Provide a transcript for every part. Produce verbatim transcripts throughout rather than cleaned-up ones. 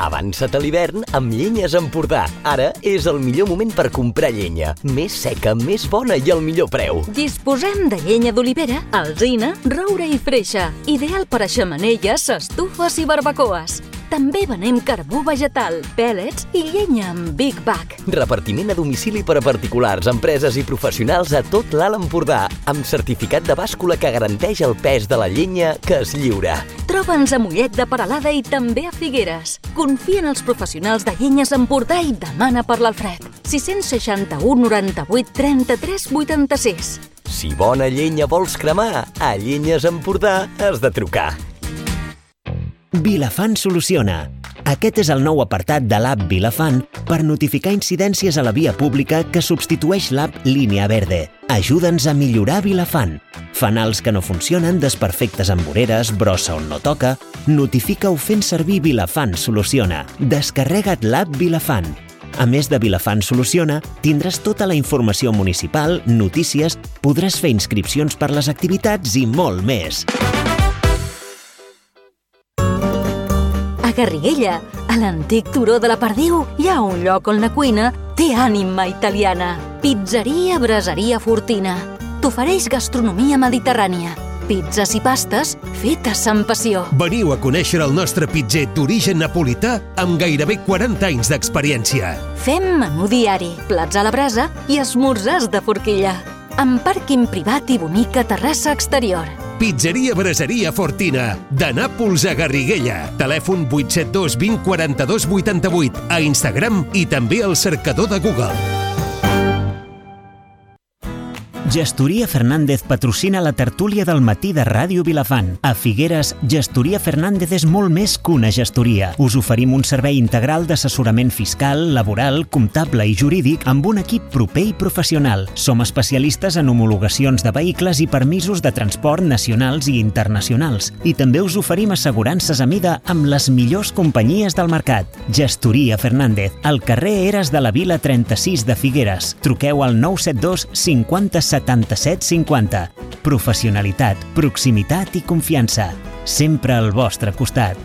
Avança't a l'hivern amb Llenyes Empordà. Ara és el millor moment per comprar llenya. Més seca, més bona i al millor preu. Disposem de llenya d'olivera, alzina, roure i freixa. Ideal per a xemeneies, estufes i barbacoes. També venem carbó vegetal, pèl·lets i llenya amb Big Bag. Repartiment a domicili per a particulars, empreses i professionals a tot l'Alt Empordà, amb certificat de bàscula que garanteix el pes de la llenya que es lliura. Troba'ns a Mollet de Peralada i també a Figueres. Confia en els professionals de Llenyes Empordà i demana per l'Alfred. sis seixanta u noranta-vuit trenta-tres vuitanta-sis. Si bona llenya vols cremar, a Llenyes Empordà has de trucar. Vilafant soluciona. Aquest és el nou apartat de l'app Vilafant per notificar incidències a la via pública que substitueix l'app Línia Verde. Ajuda'ns a millorar Vilafant. Fanals que no funcionen, desperfectes amb voreres, brossa on no toca... Notifica-ho fent servir Vilafant Soluciona. Descarrega't l'app Vilafant. A més de Vilafant Soluciona, tindràs tota la informació municipal, notícies, podràs fer inscripcions per les activitats i molt més. A Garriguella, a l'antic turó de la Perdiu, hi ha un lloc on la cuina té ànima italiana. Pizzeria Braseria Fortina. T'ofereix gastronomia mediterrània. Pizzas i pastes fetes amb passió. Veniu a conèixer el nostre pitzer d'origen napolità amb gairebé quaranta anys d'experiència. Fem menú diari, plats a la brasa i esmorzars de forquilla. Amb pàrquing privat i bonica terrassa exterior. Pizzeria Braseria Fortina, de Nàpols a Garriguella. Telèfon vuit set dos vint quaranta-dos vuitanta-vuit, a Instagram i també al cercador de Google. Gestoria Fernández patrocina la tertúlia del matí de Ràdio Vilafant. A Figueres, Gestoria Fernández és molt més que una gestoria. Us oferim un servei integral d'assessorament fiscal, laboral, comptable i jurídic amb un equip proper i professional. Som especialistes en homologacions de vehicles i permisos de transport nacionals i internacionals. I també us oferim assegurances a mida amb les millors companyies del mercat. Gestoria Fernández, al carrer Eres de la Vila trenta-sis de Figueres. Truqueu al nou set dos cinquanta setanta-set cinquanta. Professionalitat, proximitat i confiança. Sempre al vostre costat.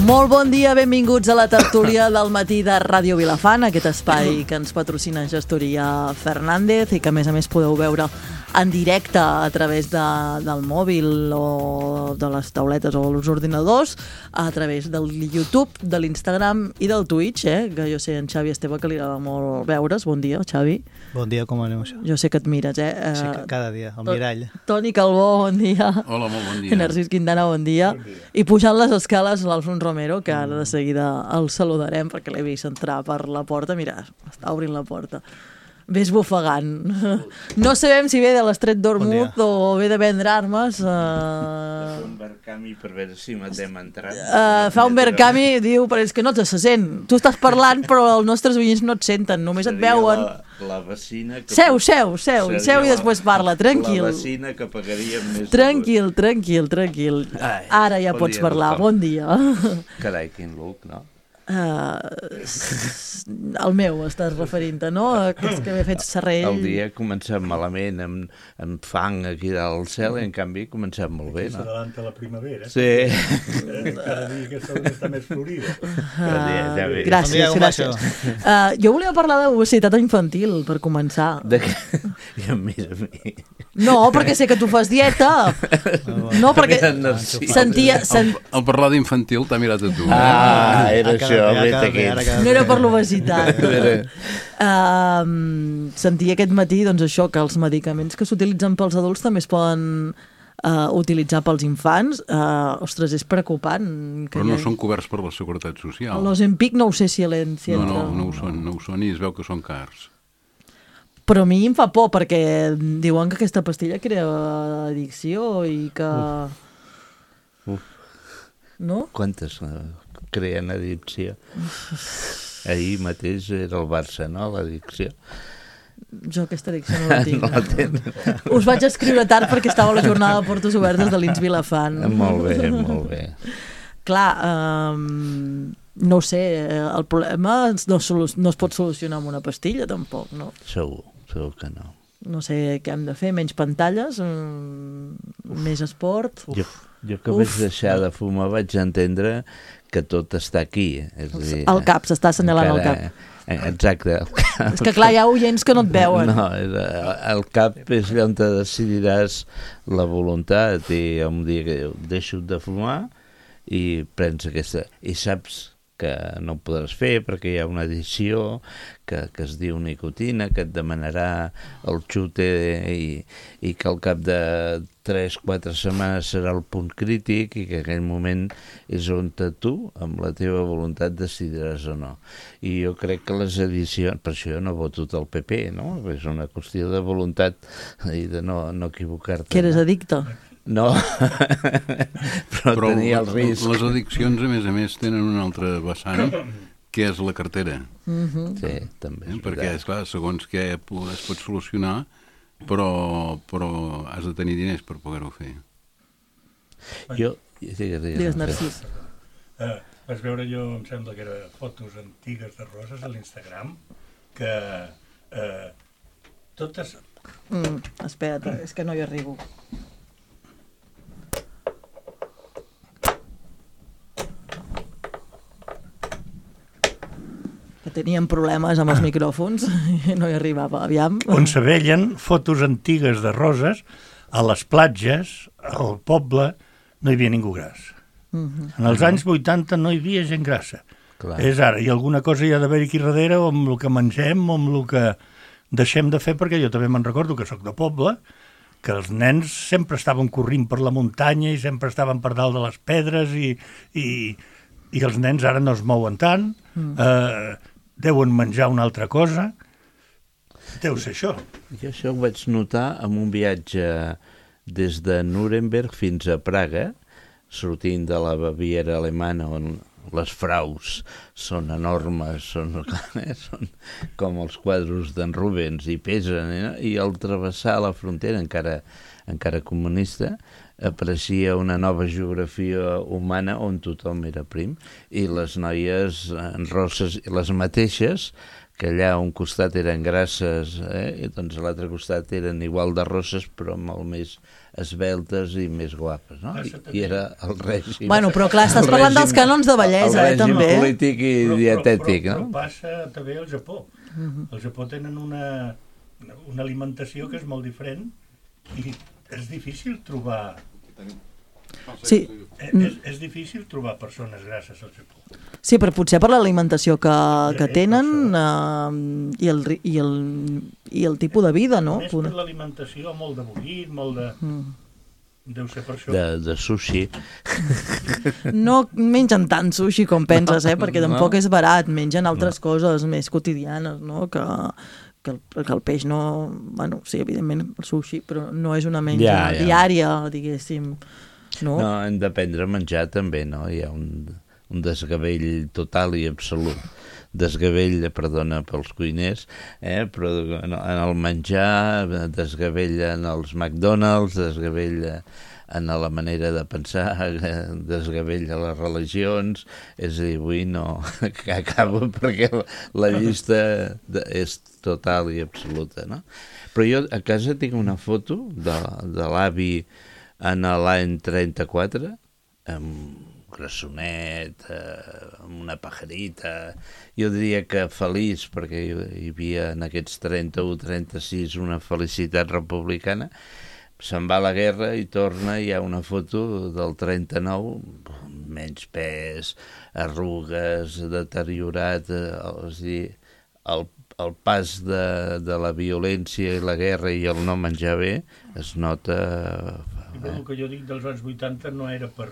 Molt bon dia, benvinguts a la tertúlia del matí de Ràdio Vilafant, aquest espai que ens patrocina Gestoria Fernández i que a més a més podeu veure en directe a través de, del mòbil o de les tauletes o els ordinadors, a través del YouTube, de l'Instagram i del Twitch, eh? Que jo sé en Xavi Esteve que li agrada molt veure's. Bon dia, Xavi. Bon dia, com aneu això? Jo sé que et mires, eh? Sí, cada dia, al mirall. Toni Calbó, bon dia. Hola, molt bon dia. I Narcís Quintana, bon dia. Bon dia. I pujant les escales l'Alfons Romero, que ara de seguida el saludarem perquè l'he vist entrar per la porta. Mira, està obrint la porta. Ve esbufegant. No sabem si ve de l'Estret d'Ormuz o ve de vendre armes. Uh... Fa un verkami per veure si matem entrat. Uh, fa un verkami, diu, però és que no te se sent. Tu estàs parlant, però els nostres veïns no et senten, només et veuen. La, la vecina... Que seu, seu, seu, seu i després parla, tranquil. La vecina que pagaria més... Tranquil, tranquil, tranquil. Ai, ara ja pots dia, parlar. Doctor. Bon dia. Carai, quin look, no? Uh, el meu estàs referint-te, no? Aquests que m'he fet serrell. El dia ha començat malament amb, amb fang aquí dalt al cel i en canvi ha començat molt bé, no? S'adavanta la primavera. Sí. Eh, cada dia que està més florida. Uh, ja gràcies, gràcies. Uh, jo volia parlar d'obesitat infantil, per començar. De què? Ja mira a mi. No, perquè sé que tu fas dieta. No, perquè sentia... Sent... Al parlar d'infantil t'ha mirat a tu. Ah, era això. No era per l'obesitat. uh, sentia aquest matí doncs, això, que els medicaments que s'utilitzen pels adults també es poden uh, utilitzar pels infants. Uh, ostres, és preocupant. Però no són coberts per la Seguretat Social. L'Ozempic no ho sé si l'entra. No, no, no ho són, no ho són i es veu que són cars. Però a mi em fa por perquè diuen que aquesta pastilla crea addicció i que... Uf. Uf. No? Quantes creen addicció? Ahir mateix era el Barça, no? L'addicció. Jo aquesta addicció no la tinc. No la tens. Us vaig escriure tard perquè estava a la jornada de portes obertes de l'I N S Vilafant. Molt bé, molt bé. Clar, um, no ho sé, el problema no, no es pot solucionar amb una pastilla, tampoc, no? Segur, segur que no. no sé què hem de fer, menys pantalles, mm, més esport... Jo, jo que Uf. vaig deixar de fumar vaig entendre que tot està aquí. És a dir, el cap, s'està assenyalant el cap. Exacte. El cap. És que clar, hi ha oients que no et veuen. No, el cap és allà on te decidiràs la voluntat i un dia que deixo de fumar i prens aquesta... I saps que no ho podràs fer perquè hi ha una edició que, que es diu nicotina, que et demanarà el xute i, i que al cap de tres quatre setmanes serà el punt crític i que en aquell moment és on tu, amb la teva voluntat, decidiràs o no. I jo crec que les edicions... Per això jo no voto del P P, no? És una qüestió de voluntat i de no, no equivocar-te. Que eres addicte? No, però, però tenia el risc. Les addiccions, a més a més, tenen un altre vessant, que és la cartera. Mm-hmm. Sí, també. Eh? Perquè, esclar, segons què es pot solucionar, però, però has de tenir diners per poder-ho fer. Jo... Digues, digues Narcís. Uh, vas veure, jo em sembla que era fotos antigues de roses a l'Instagram, que uh, totes... Mm, espera't, és que no hi arribo. Teníem problemes amb els micròfons i no hi arribava, aviam. On se veien fotos antigues de roses, a les platges, al poble, no hi havia ningú gras. Uh-huh. En els anys vuitanta no hi havia gent grassa. Clar. És ara, i alguna cosa hi ha d'haver aquí darrere, o amb el que mengem, o amb el que deixem de fer, perquè jo també me'n recordo que sóc de poble, que els nens sempre estaven corrint per la muntanya i sempre estaven per dalt de les pedres i, i, i els nens ara no es mouen tant, mm. eh, deuen menjar una altra cosa, deu ser això. Jo això ho vaig notar en un viatge des de Nuremberg fins a Praga, sortint de la Baviera alemana, on les fraus són enormes, són, eh, són com els quadros d'en Rubens i pesen, eh? I al travessar la frontera, encara, encara comunista, apareixia una nova geografia humana on tothom era prim, i les noies en rosses, les mateixes, que allà a un costat eren grasses, eh? I doncs a l'altre costat eren igual de rosses, però molt més esbeltes i més guapes, no? I, i era el règim... Bueno, però clar, estàs parlant règim, dels cànons de bellesa, eh, també. El règim polític i però, dietètic, però, però, no? Però passa també al Japó. Uh-huh. Al Japó tenen una, una alimentació que és molt diferent i és difícil trobar... Sí. És, és difícil trobar persones grasses al Japó. Sí, però potser per l'alimentació que, que tenen uh, i, el, i, el, i el tipus de vida, no? Més per l'alimentació, molt de bullit, molt de... Mm. Deu ser per això. De, de sushi. No mengen tant sushi com penses, eh? Perquè tampoc no. És barat, mengen altres no. coses més quotidianes, no? Que, que, el, que el peix no... Bueno, sí, evidentment el sushi, però no és una menja ja, ja. diària, diguéssim. No? No, hem d'aprendre a menjar també, no? Hi ha un, un desgavell total i absolut. Desgavell, perdona pels cuiners, eh? Però en el menjar, desgavell en els McDonald's, desgavell en la manera de pensar, desgavell a les religions, és a dir, avui no, que acabo perquè la llista és total i absoluta, no? Però jo a casa tinc una foto de, de l'avi en l'any trenta-quatre, amb grassonet, eh, amb una pajarita, jo diria que feliç, perquè hi havia en aquests trenta-u trenta-sis una felicitat republicana, se'n va a la guerra i torna, hi ha una foto del trenta-nou, menys pes, arrugues, deteriorat, eh, és a dir, el el pas de, de la violència i la guerra i el no menjar bé es nota... I el que jo dic dels anys vuitanta no era per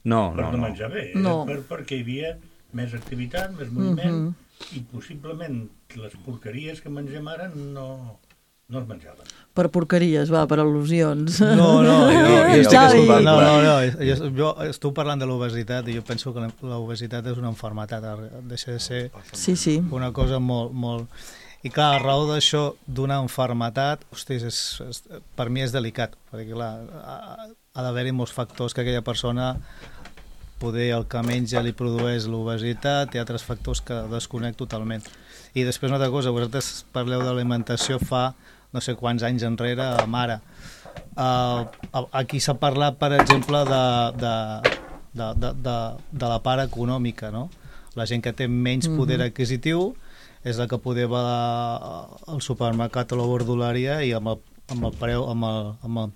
no, per no, no no menjar bé, era no. per, perquè hi havia més activitat, més moviment, uh-huh. i possiblement les porqueries que mengem ara no, no es menjaven. Per porqueries, va, per al·lusions. No, no, jo, jo, Xavi. no, no, no, jo, jo estic parlant de l'obesitat i jo penso que l'obesitat és una malaltia, deixa de ser sí, sí. una cosa molt, molt... I clar, a raó d'això, d'una malaltia, hosti, és, és, per mi és delicat, perquè clar, ha, ha d'haver-hi molts factors que aquella persona, poder el que menja li produeix l'obesitat i altres factors que desconec totalment. I després una altra cosa, vosaltres parleu de l'alimentació fa no sé quants anys enrere, amb ara. Uh, aquí s'ha parlat, per exemple, de, de, de, de, de, de la part econòmica, no? La gent que té menys poder mm-hmm. adquisitiu és la que poder va al supermercat o la verdolaria i amb el, amb el preu, amb el, amb el,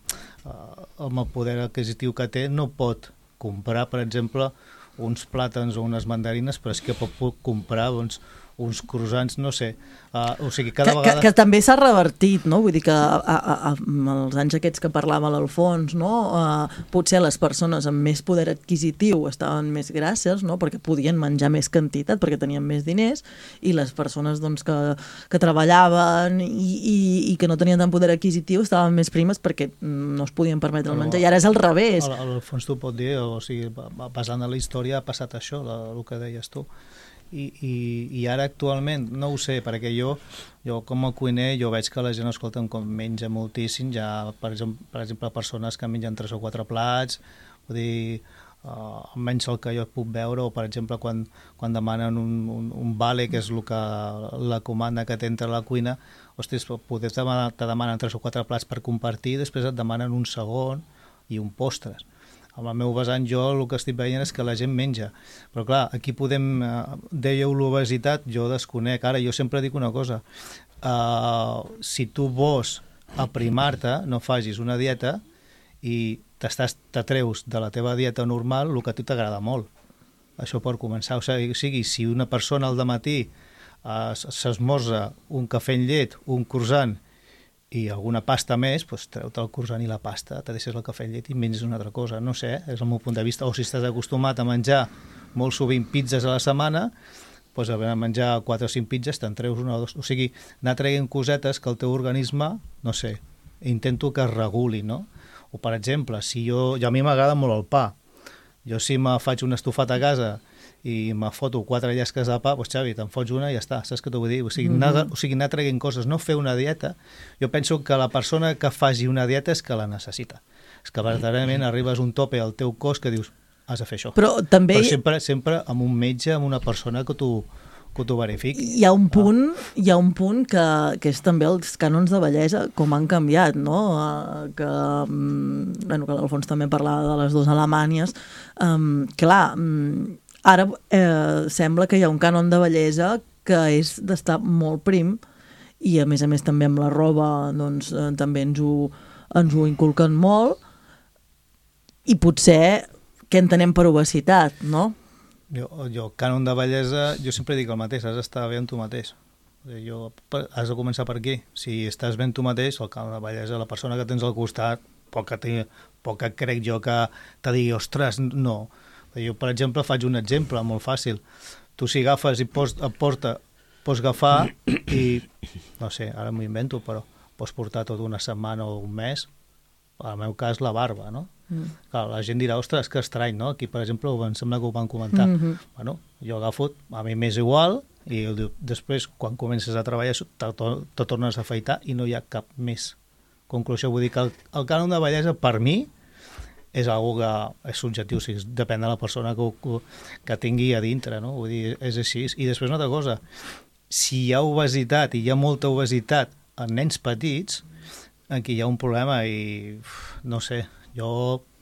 uh, amb el poder adquisitiu que té no pot comprar, per exemple, uns plàtans o unes mandarines, però és que pot comprar doncs, uns croissants, no sé. Uh, o sigui, cada que, vegada... Que, que també s'ha revertit, no? Vull dir que a, a, a, els anys aquests que parlava l'Alfons, no? Uh, potser les persones amb més poder adquisitiu estaven més grasses, no? Perquè podien menjar més quantitat, perquè tenien més diners, i les persones doncs, que, que treballaven i, i, i que no tenien tant poder adquisitiu estaven més primes perquè no es podien permetre el menjar. I ara és al revés. L'Alfons t'ho pot dir, o sigui, basant en la història ha passat això, la, el que deies tu. I, i, i ara actualment no ho sé, perquè jo, jo com a cuiner jo veig que la gent, escolta, com menja moltíssim, ja per exemple, per exemple persones que mengen tres o quatre plats, vull dir, uh, almenys el que jo puc veure, o per exemple quan, quan demanen un, un, un vale, que és el que, la comanda que té entre la cuina, ostres, poder te demanen, te demanen tres o quatre plats per compartir, després et demanen un segon i un postres. Amb el meu vessant jo el que estic veient és que la gent menja. Però clar, aquí podem... Eh, dèieu l'obesitat, jo desconec. Ara, jo sempre dic una cosa. Uh, si tu vols aprimar-te, no facis una dieta i t'atreus de la teva dieta normal el que a tu t'agrada molt. Això per començar. O sigui, si una persona al dematí uh, s'esmorza un cafè amb llet, un croissant i alguna pasta més, doncs treu-te el croissant i la pasta, te deixes el cafè amb llet i menges una altra cosa, no sé, és el meu punt de vista. O si estàs acostumat a menjar molt sovint pizzas a la setmana, doncs a menjar quatre o cinc pizzas te'n treus una o dos, o sigui, anar traient cosetes que el teu organisme, no sé, intento que es reguli, no? O per exemple, si jo, jo a mi m'agrada molt el pa, jo si me faig un estofat a casa i me foto quatre llesques de pa, doncs Xavi, te'n fots una i ja està, saps què t'ho vull dir? O sigui, mm-hmm. anar, o sigui, anar traient coses, no fer una dieta. Jo penso que la persona que faci una dieta és que la necessita. És que verdaderament arribes a un tope al teu cos que dius, has de fer això. Però també... Però sempre, sempre amb un metge, amb una persona que t'ho que t'ho verifiqui. Hi ha un punt, ah. hi ha un punt que, que és també els cànons de bellesa, com han canviat, no? Uh, que, um, bueno, que l'Alfons també parlava de les dues Alemanyes. Um, clar, um, ara eh, sembla que hi ha un cànon de bellesa que és d'estar molt prim i a més a més també amb la roba doncs, eh, també ens ho, ens ho inculquen molt i potser què entenem per obesitat, no? Jo, jo cànon de bellesa, jo sempre dic el mateix, has d'estar bé amb tu mateix. Jo, has de començar per aquí. Si estàs bé amb tu mateix, el cànon de bellesa, la persona que tens al costat, poc que, poc que crec jo que te digui, ostres, no. Jo, per exemple, faig un exemple molt fàcil. Tu si agafes i pots, porta, pots agafar i, no sé, ara m'ho invento, però pots portar tota una setmana o un mes, en el meu cas, la barba, no? Mm. Clar, la gent dirà, ostres, que estrany, no? Aquí, per exemple, em sembla que ho van comentar. Mm-hmm. Bueno, jo agafo, a mi m'és igual, i després, quan comences a treballar, te, te tornes a afaitar i no hi ha cap més conclusió. Vull dir que el, el cànon de bellesa, per mi, és algo que és subjectiu, o sigui, depèn de la persona que, que, que tingui a dintre, no? Vull dir, és així. I després una altra cosa, si hi ha obesitat i hi ha molta obesitat en nens petits, aquí hi ha un problema i, no sé, jo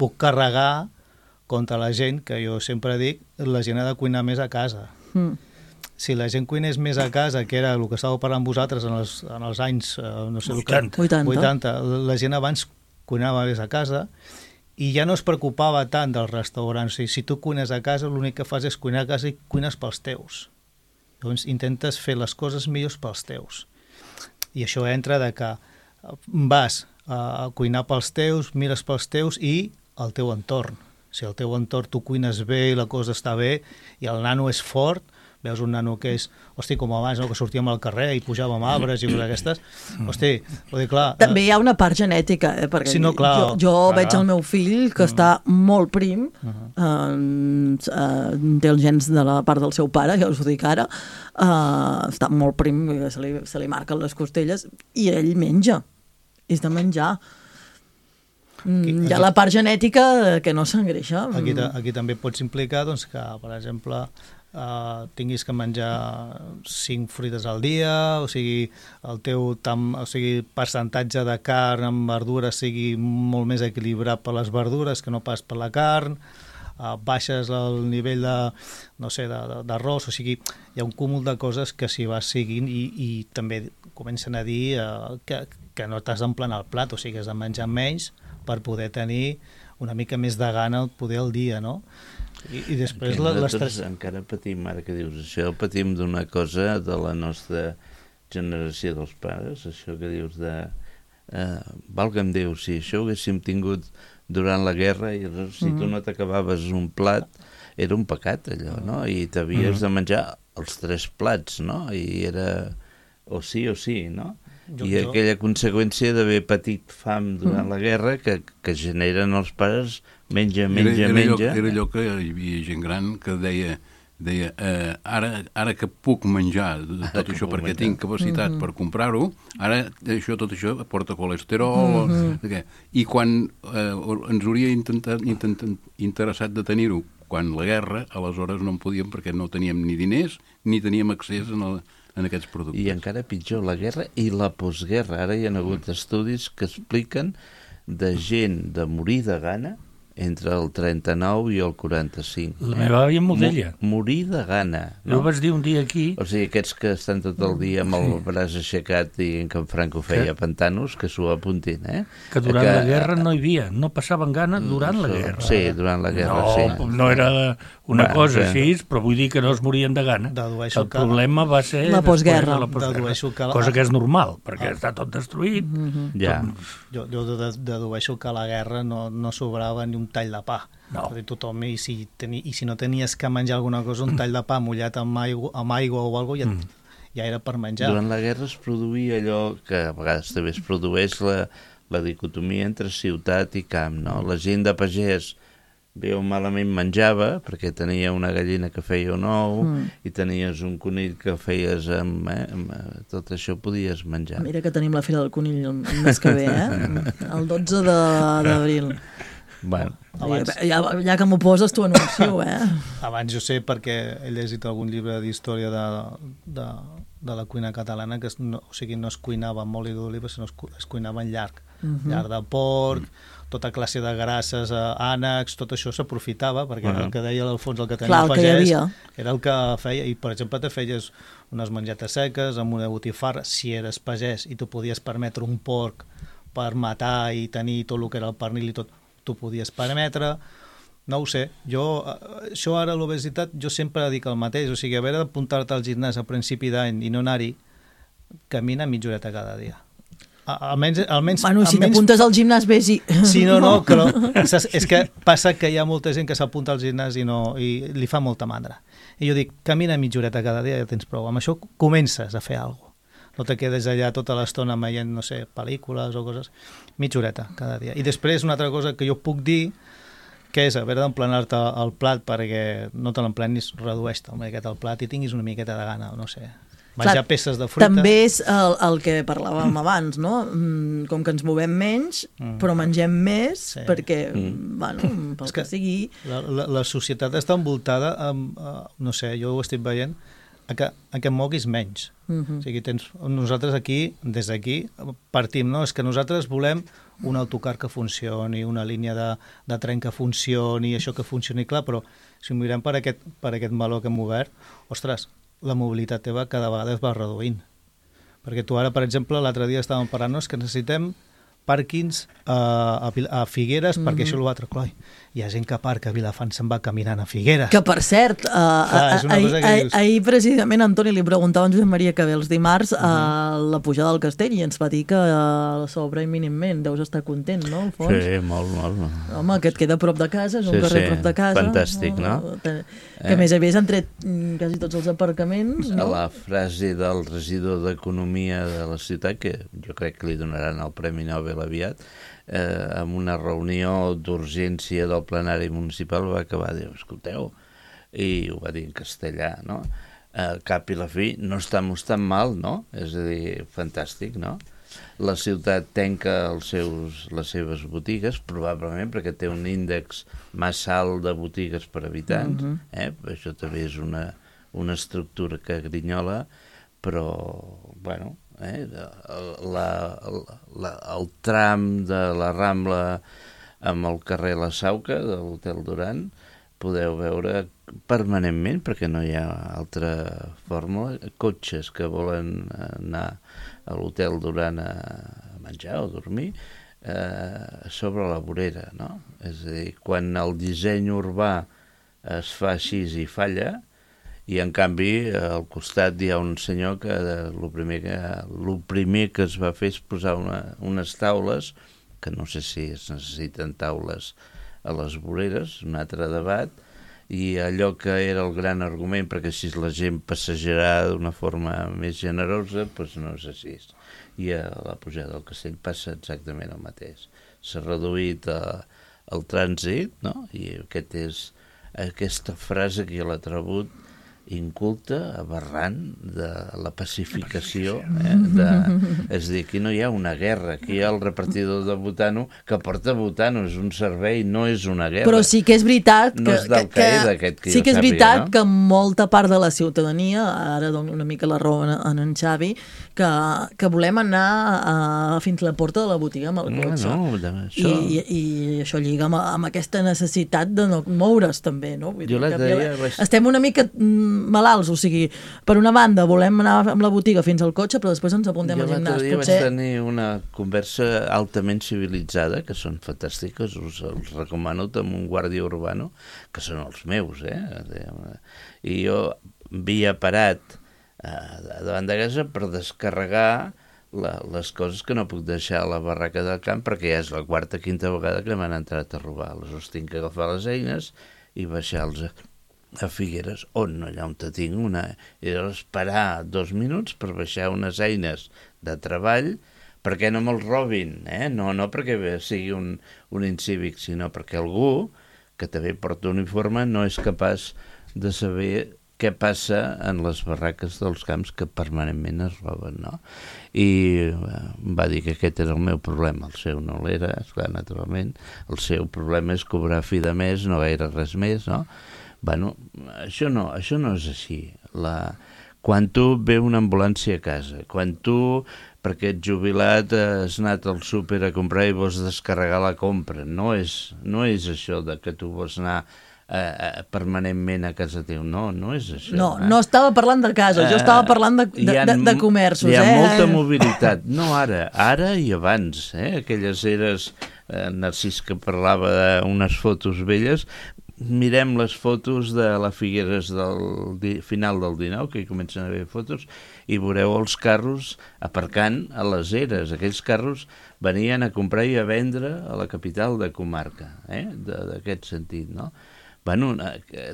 puc carregar contra la gent, que jo sempre dic, la gent ha de cuinar més a casa. Mm. Si la gent cuinés més a casa, que era el que estàveu parlant vosaltres en els, en els anys, no sé, vuitanta. vuitanta, vuitanta, la gent abans cuinava més a casa, i ja no es preocupava tant dels restaurants. O sigui, si tu cuines a casa, l'únic que fas és cuinar a casa i cuines pels teus. Llavors intentes fer les coses millors pels teus. I això entra de que vas a cuinar pels teus, mires pels teus i el teu entorn. Si el teu entorn tu cuines bé i la cosa està bé i el nano és fort, veus un nano que és, hosti, com abans, no? Que sortíem al carrer i pujàvem arbres i coses d'aquestes, hosti, vull dir, clar... També hi ha una part genètica, eh? Perquè sí, no, clar, jo, jo clar, veig el meu fill que uh -huh. està molt prim, uh -huh. eh, eh, té els gens de la part del seu pare, ja us ho dic ara, eh, està molt prim, se li, se li marquen les costelles, i ell menja, és de menjar. Aquí, hi ha aquí, la part genètica que no s'engreixa. Aquí, aquí també pots implicar doncs, que, per exemple, uh, tinguis que menjar cinc fruites al dia, o sigui, el teu tam, o sigui, percentatge de carn amb verdures sigui molt més equilibrat per les verdures que no pas per la carn, uh, baixes el nivell de, no sé, d'arròs, o sigui, hi ha un cúmul de coses que s'hi va seguint i, i també comencen a dir uh, que, que no t'has d'emplenar el plat, o sigui, has de menjar menys per poder tenir una mica més de gana poder al dia, no? I, i després la, les tres... Encara patim, ara que dius això, patim d'una cosa de la nostra generació dels pares, això que dius de... Eh, valga'm Déu, si això ho haguéssim tingut durant la guerra i si tu no t'acabaves un plat, era un pecat allò, no? I t'havies de menjar els tres plats, no? I era o sí o sí, no? Jo, I jo... aquella conseqüència d'haver patit fam durant mm. la guerra que, que generen els pares menja, menja, era, era menja. Allò, era allò que hi havia gent gran que deia, deia eh, ara, ara que puc menjar tot ara això perquè menjar. tinc capacitat mm -hmm. per comprar-ho, ara això, tot això porta colesterol. Mm -hmm. I quan eh, ens hauria intentat, intentat, interessat de tenir-ho quan la guerra, aleshores no en podíem perquè no teníem ni diners ni teníem accés en el en aquests productes. I encara pitjor, la guerra i la postguerra. Ara hi ha hagut estudis que expliquen de gent de morir de gana entre el trenta-nou i el quaranta-cinc. La meva àvia molt d'ella. Morir de gana. No? Jo vaig dir un dia aquí... O sigui, aquests que estan tot el dia amb el braç aixecat i que en Franco feia que... pantanos, que s'ho apuntin, eh? Que durant que... la guerra no hi havia, no passaven gana durant la guerra. Sí, durant la guerra, no, sí. No era una bueno, cosa que... així, però vull dir que no es morien de gana. Dedueixo el problema va ser... La postguerra. La postguerra. Que... Cosa que és normal, perquè ah. està tot destruït. Mm-hmm. Ja. Jo, jo dedueixo que a la guerra no, no sobrava ni un tall de pa. No. Tothom, i, si teni, i si no tenies que menjar alguna cosa, un tall de pa mullat amb aigua, amb aigua o alguna cosa, ja, mm. ja era per menjar. Durant la guerra es produïa allò que a vegades també es produeix la, la dicotomia entre ciutat i camp, no? La gent de pagès bé o malament menjava perquè tenia una gallina que feia un ou mm. i tenies un conill que feies amb, eh, amb tot això podies menjar. Mira que tenim la Fira del Conill el mes que ve, eh? El dotze d'abril. Bueno, abans... ja, ja que m'ho poses t'ho anuncio, eh? Abans jo sé perquè he llegit algun llibre d'història de, de, de la cuina catalana que es, no, o sigui, no es cuinava amb oli d'oliva, sinó es, es cuinava en llarg. Uh-huh. Llarg de porc, uh-huh. tota classe de grasses, eh, ànecs, tot això s'aprofitava perquè uh-huh. el que deia l'Alfons, el que tenia el pagès, era el que feia, i per exemple te feies unes mengetes seques amb una botifarra, si eres pagès i tu podies permetre un porc per matar i tenir tot el que era el pernil i tot, tu podies permetre, no ho sé, jo, això ara l'obesitat, jo sempre dic el mateix, o sigui, haver d'apuntar-te al gimnàs a principi d'any i no anar-hi, camina mitja horeta cada dia. Almenys, almenys, bueno, si almenys... t'apuntes al gimnàs, vés i... Sí, no, no, però és que passa que hi ha molta gent que s'apunta al gimnàs i, no, i li fa molta mandra. I jo dic, camina mitja horeta cada dia, ja tens prou. Amb això comences a fer alguna cosa. No te quedes allà tota l'estona veient, no sé, pel·lícules o coses. Mitja horeta cada dia. I després una altra cosa que jo puc dir, que és haver d'emplenar-te el plat perquè no te l'emplenis, redueix-te una miqueta el plat i tinguis una miqueta de gana, no sé, menjar Clar, peces de fruita. També és el, el que parlàvem mm. abans, no? Com que ens movem menys, mm. però mengem més, sí. perquè, mm. bueno, pel que, que sigui... La, la, la societat està envoltada amb, uh, no sé, jo ho estic veient, a que, a que moguis menys. Uh-huh. O sigui, tens, nosaltres aquí, des d'aquí, partim, no? És que nosaltres volem un autocar que funcioni, una línia de, de tren que funcioni, això que funcioni, clar, però si ho mirem per aquest, per aquest meló que hem obert, ostres, la mobilitat teva cada vegada es va reduint. Perquè tu ara, per exemple, l'altre dia estàvem parlant-nos que necessitem pàrquings a, a Figueres, mm-hmm. perquè això és l'altre, clar, hi ha gent que aparca a Vilafant se'n va caminant a Figueres. Que, per cert, uh, Clar, ahir, ahir, ahir precisament Antoni li preguntava a en Josep Maria que ve els dimarts a uh, la pujada del castell i ens va dir que uh, s'obre imminentment. Deus estar content, no, Alfons? Sí, molt, molt. Home, que et queda a prop de casa, és un sí, carrer sí. prop de casa. Fantàstic, no? Que a eh. més a més han tret quasi tots els aparcaments, no? La frase del regidor d'Economia de la ciutat, que jo crec que li donaran el Premi Nobel aviat, eh, amb una reunió d'urgència del plenari municipal va acabar de dir, escolteu, i ho va dir en castellà, no? Al cap i la fi no estamos tan mal, no? És a dir, fantàstic, no? La ciutat tanca els seus, les seves botigues, probablement perquè té un índex massa alt de botigues per habitant, uh-huh. eh? Això també és una, una estructura que grinyola, però, bueno, eh, la, la, el tram de la Rambla amb el carrer La Sauca de l'Hotel Duran podeu veure permanentment, perquè no hi ha altra fórmula, cotxes que volen anar a l'Hotel Duran a menjar o dormir eh, sobre la vorera, no? És a dir, quan el disseny urbà es fa així i falla, i en canvi al costat hi ha un senyor que el primer que, lo primer que es va fer és posar una, unes taules, que no sé si es necessiten taules a les voreres, un altre debat, i allò que era el gran argument perquè així la gent passejarà d'una forma més generosa, doncs no és així. I a la pujada del castell passa exactament el mateix. S'ha reduït eh, el trànsit, no? I aquest és, aquesta frase que jo l'he trebut inculta, aberrant, de la pacificació. Eh? De, és a dir, aquí no hi ha una guerra, aquí hi ha el repartidor de botano que porta botano, és un servei, no és una guerra. Però sí que és veritat que, no és del que, que, que, que sí que és sàpiga, veritat no? que molta part de la ciutadania, ara dono una mica la raó en, en en Xavi, que, que volem anar a, fins a la porta de la botiga amb el cotxe. No, no, això... I, i, I això lliga amb, amb aquesta necessitat de no moure's també, no? Vull jo dir, la que deia... estem una mica malalts, o sigui, per una banda volem anar amb la botiga fins al cotxe, però després ens apuntem al gimnàs. Jo l'altre dia Potser... vaig tenir una conversa altament civilitzada, que són fantàstiques, us els recomano, amb un guàrdia urbano, que són els meus, eh? I jo havia parat eh, davant de casa per descarregar la, les coses que no puc deixar a la barraca del camp, perquè ja és la quarta, quinta vegada que m'han entrat a robar. Aleshores tinc que agafar les eines i baixar-los a Figueres, on allà on te tinc una... I llavors parar dos minuts per baixar unes eines de treball perquè no me'ls robin, eh? No, no perquè sigui un, un incívic, sinó perquè algú que també porta uniforme no és capaç de saber què passa en les barraques dels camps que permanentment es roben, no? I em va dir que aquest era el meu problema, el seu no l'era, esclar, naturalment, el seu problema és cobrar fi de mes, no gaire res més, no? Bueno, això no, això no és així. La... Quan tu ve una ambulància a casa, quan tu, perquè ets jubilat, has anat al súper a comprar i vols descarregar la compra, no és, no és això de que tu vols anar eh, permanentment a casa teu, no, no és això. No, eh? no estava parlant de casa, jo estava parlant de, de, de, de comerços. Hi ha eh? molta mobilitat, no ara, ara i abans, eh? Aquelles eres, eh, Narcís que parlava d'unes fotos velles, mirem les fotos de la Figueres del di, final del dinou, que hi comencen a haver fotos, i veureu els carros aparcant a les eres. Aquells carros venien a comprar i a vendre a la capital de comarca, eh? d'aquest sentit, no? Bueno,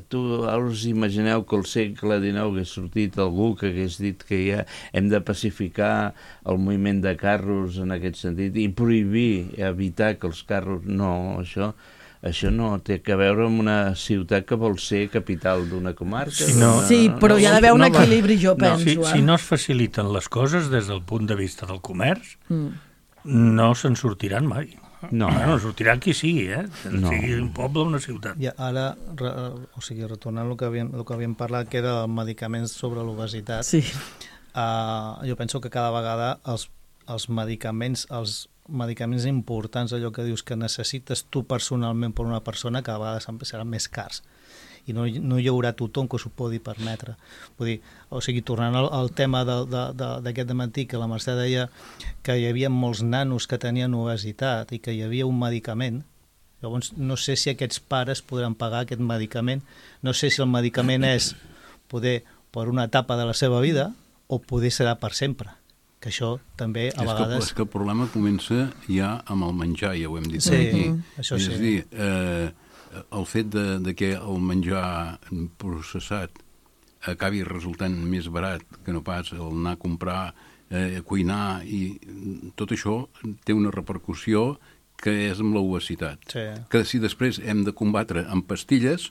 tu us imagineu que al segle dinou hagués sortit algú que hagués dit que ja hem de pacificar el moviment de carros en aquest sentit i prohibir, evitar que els carros... No, això... Això no té a veure amb una ciutat que vol ser capital d'una comarca. Si no, sí, però hi ha d'haver un no, equilibri, jo penso. No, si, eh? si no es faciliten les coses des del punt de vista del comerç, mm. no se'n sortiran mai. No. Bueno, sortirà qui sigui, eh? No. Sigui un poble o una ciutat. I ara, re, o sigui, retornant al que havíem, el que havíem parlat, que era medicaments sobre l'obesitat, sí. uh, jo penso que cada vegada els, els medicaments, els medicaments importants, allò que dius que necessites tu personalment per una persona, cada vegada seran més cars i no, no hi haurà tothom que s'ho pugui permetre. Vull dir, o sigui, tornant al, al tema de, de, de, d'aquest dematí, que la Mercè deia que hi havia molts nanos que tenien obesitat i que hi havia un medicament, llavors no sé si aquests pares podran pagar aquest medicament, no sé si el medicament és poder per una etapa de la seva vida o poder serà per sempre, que això també a és vegades... Que, és que el problema comença ja amb el menjar, ja ho hem dit sí, aquí. això és sí. a dir, eh, el fet de, de que el menjar processat acabi resultant més barat que no pas el anar a comprar, eh, cuinar, i tot això té una repercussió que és amb l'obesitat. Sí. Que si després hem de combatre amb pastilles,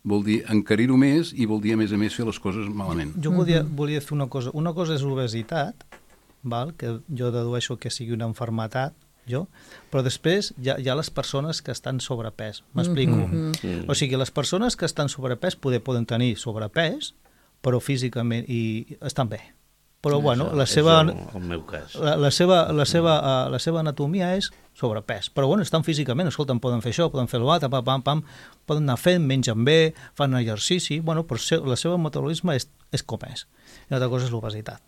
vol dir encarir-ho més i vol dir, a més a més, fer les coses malament. Jo volia, volia fer una cosa. Una cosa és obesitat, val? Que jo dedueixo que sigui una malaltia, jo, però després hi ha, hi ha les persones que estan sobrepès. M'explico. Mm-hmm. O sigui, les persones que estan sobrepès poder, poden tenir sobrepès, però físicament i estan bé. Però, bueno, la és seva, el, el meu cas. la, la, seva, la, seva, uh, la seva anatomia és sobrepès. Però, bueno, estan físicament, escolta'm, poden fer això, poden fer l'altre, pam, pam, pam, poden anar fent, mengen bé, fan exercici, bueno, però el seu metabolisme és, és com és. I una altra cosa és l'obesitat,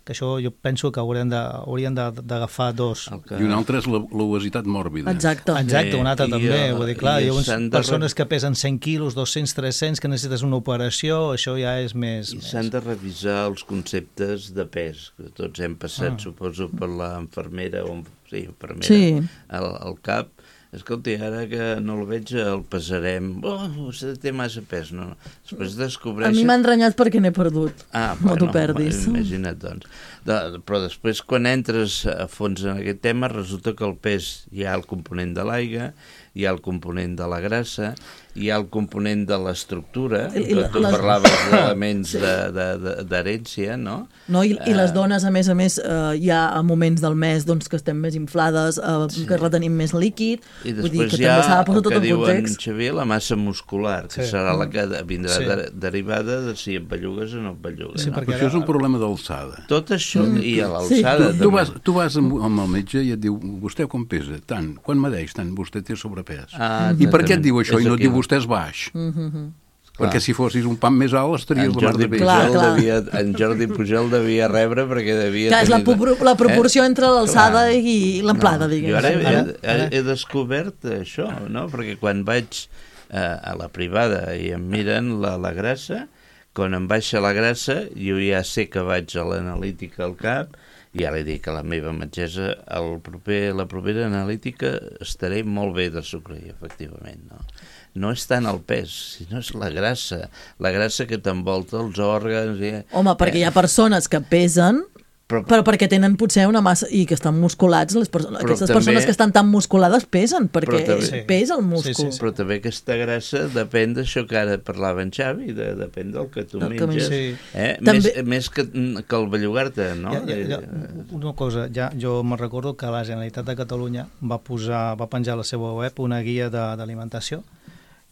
que això jo penso que haurien de, haurien d'agafar dos. Que... I una altra és l'obesitat mòrbida. Exacte. Exacte, una altra també, jo, vull dir, clar, hi ha unes de... persones que pesen cent quilos, dos-cents, tres-cents, que necessites una operació, això ja és més... I s'han de revisar els conceptes de pes, que tots hem passat, ah. suposo, per l'enfermera o sí, infermera sí. al, al cap. Escolti, ara que no el veig, el pesarem. Oh, vostè té massa pes. No, no. Després descobreixes... A mi m'han renyat perquè n'he perdut. Ah, no bueno, t'ho perdis. Imagina't, doncs. De, però després, quan entres a fons en aquest tema, resulta que el pes hi ha el component de l'aigua, hi ha el component de la grassa, hi ha el component de l'estructura, tu, tu les... parlaves d'elements sí. d'herència, de, de, no? No, i, i les dones, a més a més, eh, hi ha moments del mes doncs, que estem més inflades, eh, sí. que retenim més líquid, i vull dir que hi ha també s'ha de posar el tot que en diuen, context. Xavier, la massa muscular, que sí. serà la que vindrà sí. de, derivada de si et bellugues o no et bellugues. Sí, no? perquè això és un problema d'alçada. Tot això, mm. i a Sí. l'alçada... Tu, tu, vas, tu vas amb, amb el metge i et diu, vostè com pesa? Tant. Quan medeix? Tant. Vostè té sobrepès. Ah, I per què et diu això és i no et aquí. diu vostè és baix? Mm-hmm. Perquè si fossis un pam més alt estaries En la mar Jordi, de bé. Clar, Pujol clar. devia, en Jordi Pujol devia rebre perquè devia... Clar, és la, tenir... la proporció eh? entre l'alçada Clar. i l'amplada, no, diguem. Jo ara he, Ara, he, ara. he descobert això, no? Perquè quan vaig eh, a la privada i em miren la, la grassa, quan em baixa la grassa, jo ja sé que vaig a l'analítica al cap i ja li dic a la meva metgessa, el proper, la propera analítica estaré molt bé de sucre, efectivament, no? No és tant el pes, sinó és la grassa, la grassa que t'envolta els òrgans... I... Home, perquè hi ha persones que pesen, però, però perquè tenen potser una massa i que estan musculats, les perso aquestes també, persones que estan tan musculades pesen, perquè també, pesa el múscul. Sí, sí, sí. Però també aquesta grassa depèn d'això que ara parlava en Xavi, de, depèn del que tu del menges, sí. eh? També... més, més que, que el bellugar-te, no? Ja, ja, ja, una cosa, ja, jo me'n recordo que la Generalitat de Catalunya va, posar, va penjar a la seva web una guia d'alimentació,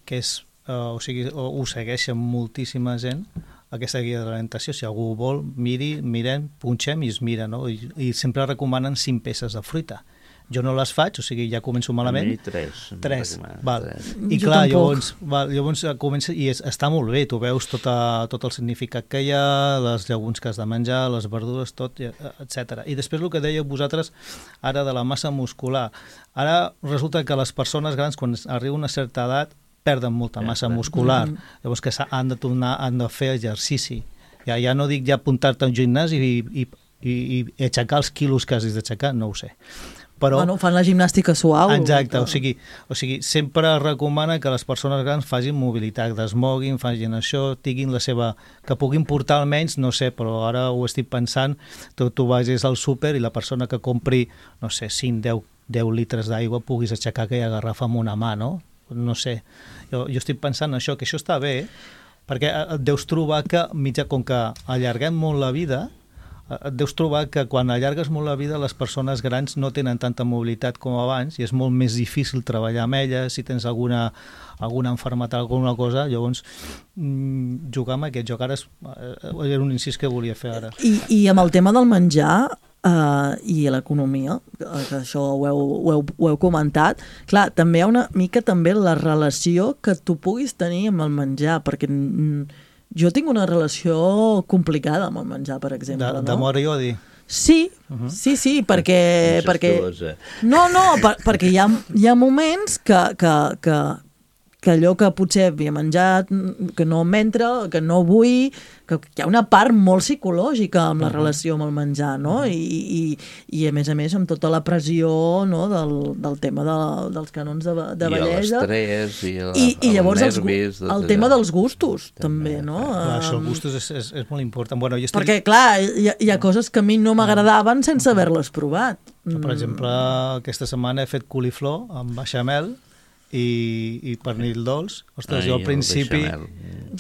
que és, uh, o sigui, ho segueixen moltíssima gent, aquesta guia de l'alimentació, si algú vol, miri, mirem, punxem i es mira, no? I, i sempre recomanen cinc peces de fruita. Jo no les faig, o sigui, ja començo malament. A mi tres. Tres, val. Tres. I Jo clar, tampoc. llavors, val, llavors comença, i és, està molt bé, tu veus tota, tot el significat que hi ha, les llegums que has de menjar, les verdures, tot, etcètera. I després el que dèieu vosaltres ara de la massa muscular. Ara resulta que les persones grans, quan arriba una certa edat, perden molta massa muscular, mm-hmm. llavors que han de tornar, han de fer exercici. Ja, ja no dic ja apuntar-te a un gimnàs i, i, i, i aixecar els quilos que has d'aixecar, no ho sé. Però, bueno, fan la gimnàstica suau. exacte, o sigui, o sigui, sempre recomana que les persones grans facin mobilitat, desmoguin, facin això, tinguin la seva... que puguin portar almenys, no sé, però ara ho estic pensant, tu, tu vagis al súper i la persona que compri, no sé, cinc, deu litres d'aigua puguis aixecar aquella garrafa amb una mà, no? No sé, jo, jo estic pensant això, que això està bé, perquè et deus trobar que, mitjà, com que allarguem molt la vida, et deus trobar que quan allargues molt la vida les persones grans no tenen tanta mobilitat com abans i és molt més difícil treballar amb elles, si tens alguna, alguna malaltia, alguna cosa, llavors mmm, jugar amb aquest joc ara és, era un incís que volia fer ara. I, i amb el tema del menjar uh, i l'economia, que això ho heu, ho, heu, ho heu comentat, clar, també hi ha una mica també la relació que tu puguis tenir amb el menjar, perquè mm, jo tinc una relació complicada amb el menjar, per exemple. De, no? d'amor i odi? Sí, uh-huh. sí, sí, perquè... perquè no, no, per, perquè hi ha, hi ha moments que, que, que, que allò que potser havia menjat, que no m'entra, que no vull, que hi ha una part molt psicològica amb la relació amb el menjar, no? I, i, i a més a més amb tota la pressió, no? del, del tema de, dels canons de, de bellesa. I l'estrès, i, la, I, i llavors els els, nervis. el, el tema dels gustos, també, també no? Clar, això, el gustos és, és, és molt important. Bueno, jo estic... Perquè, clar, hi ha, hi ha coses que a mi no m'agradaven sense haver-les provat. Per exemple, aquesta setmana he fet coliflor amb bechamel i, i pernil dolç. Ostres, Ai, jo al principi...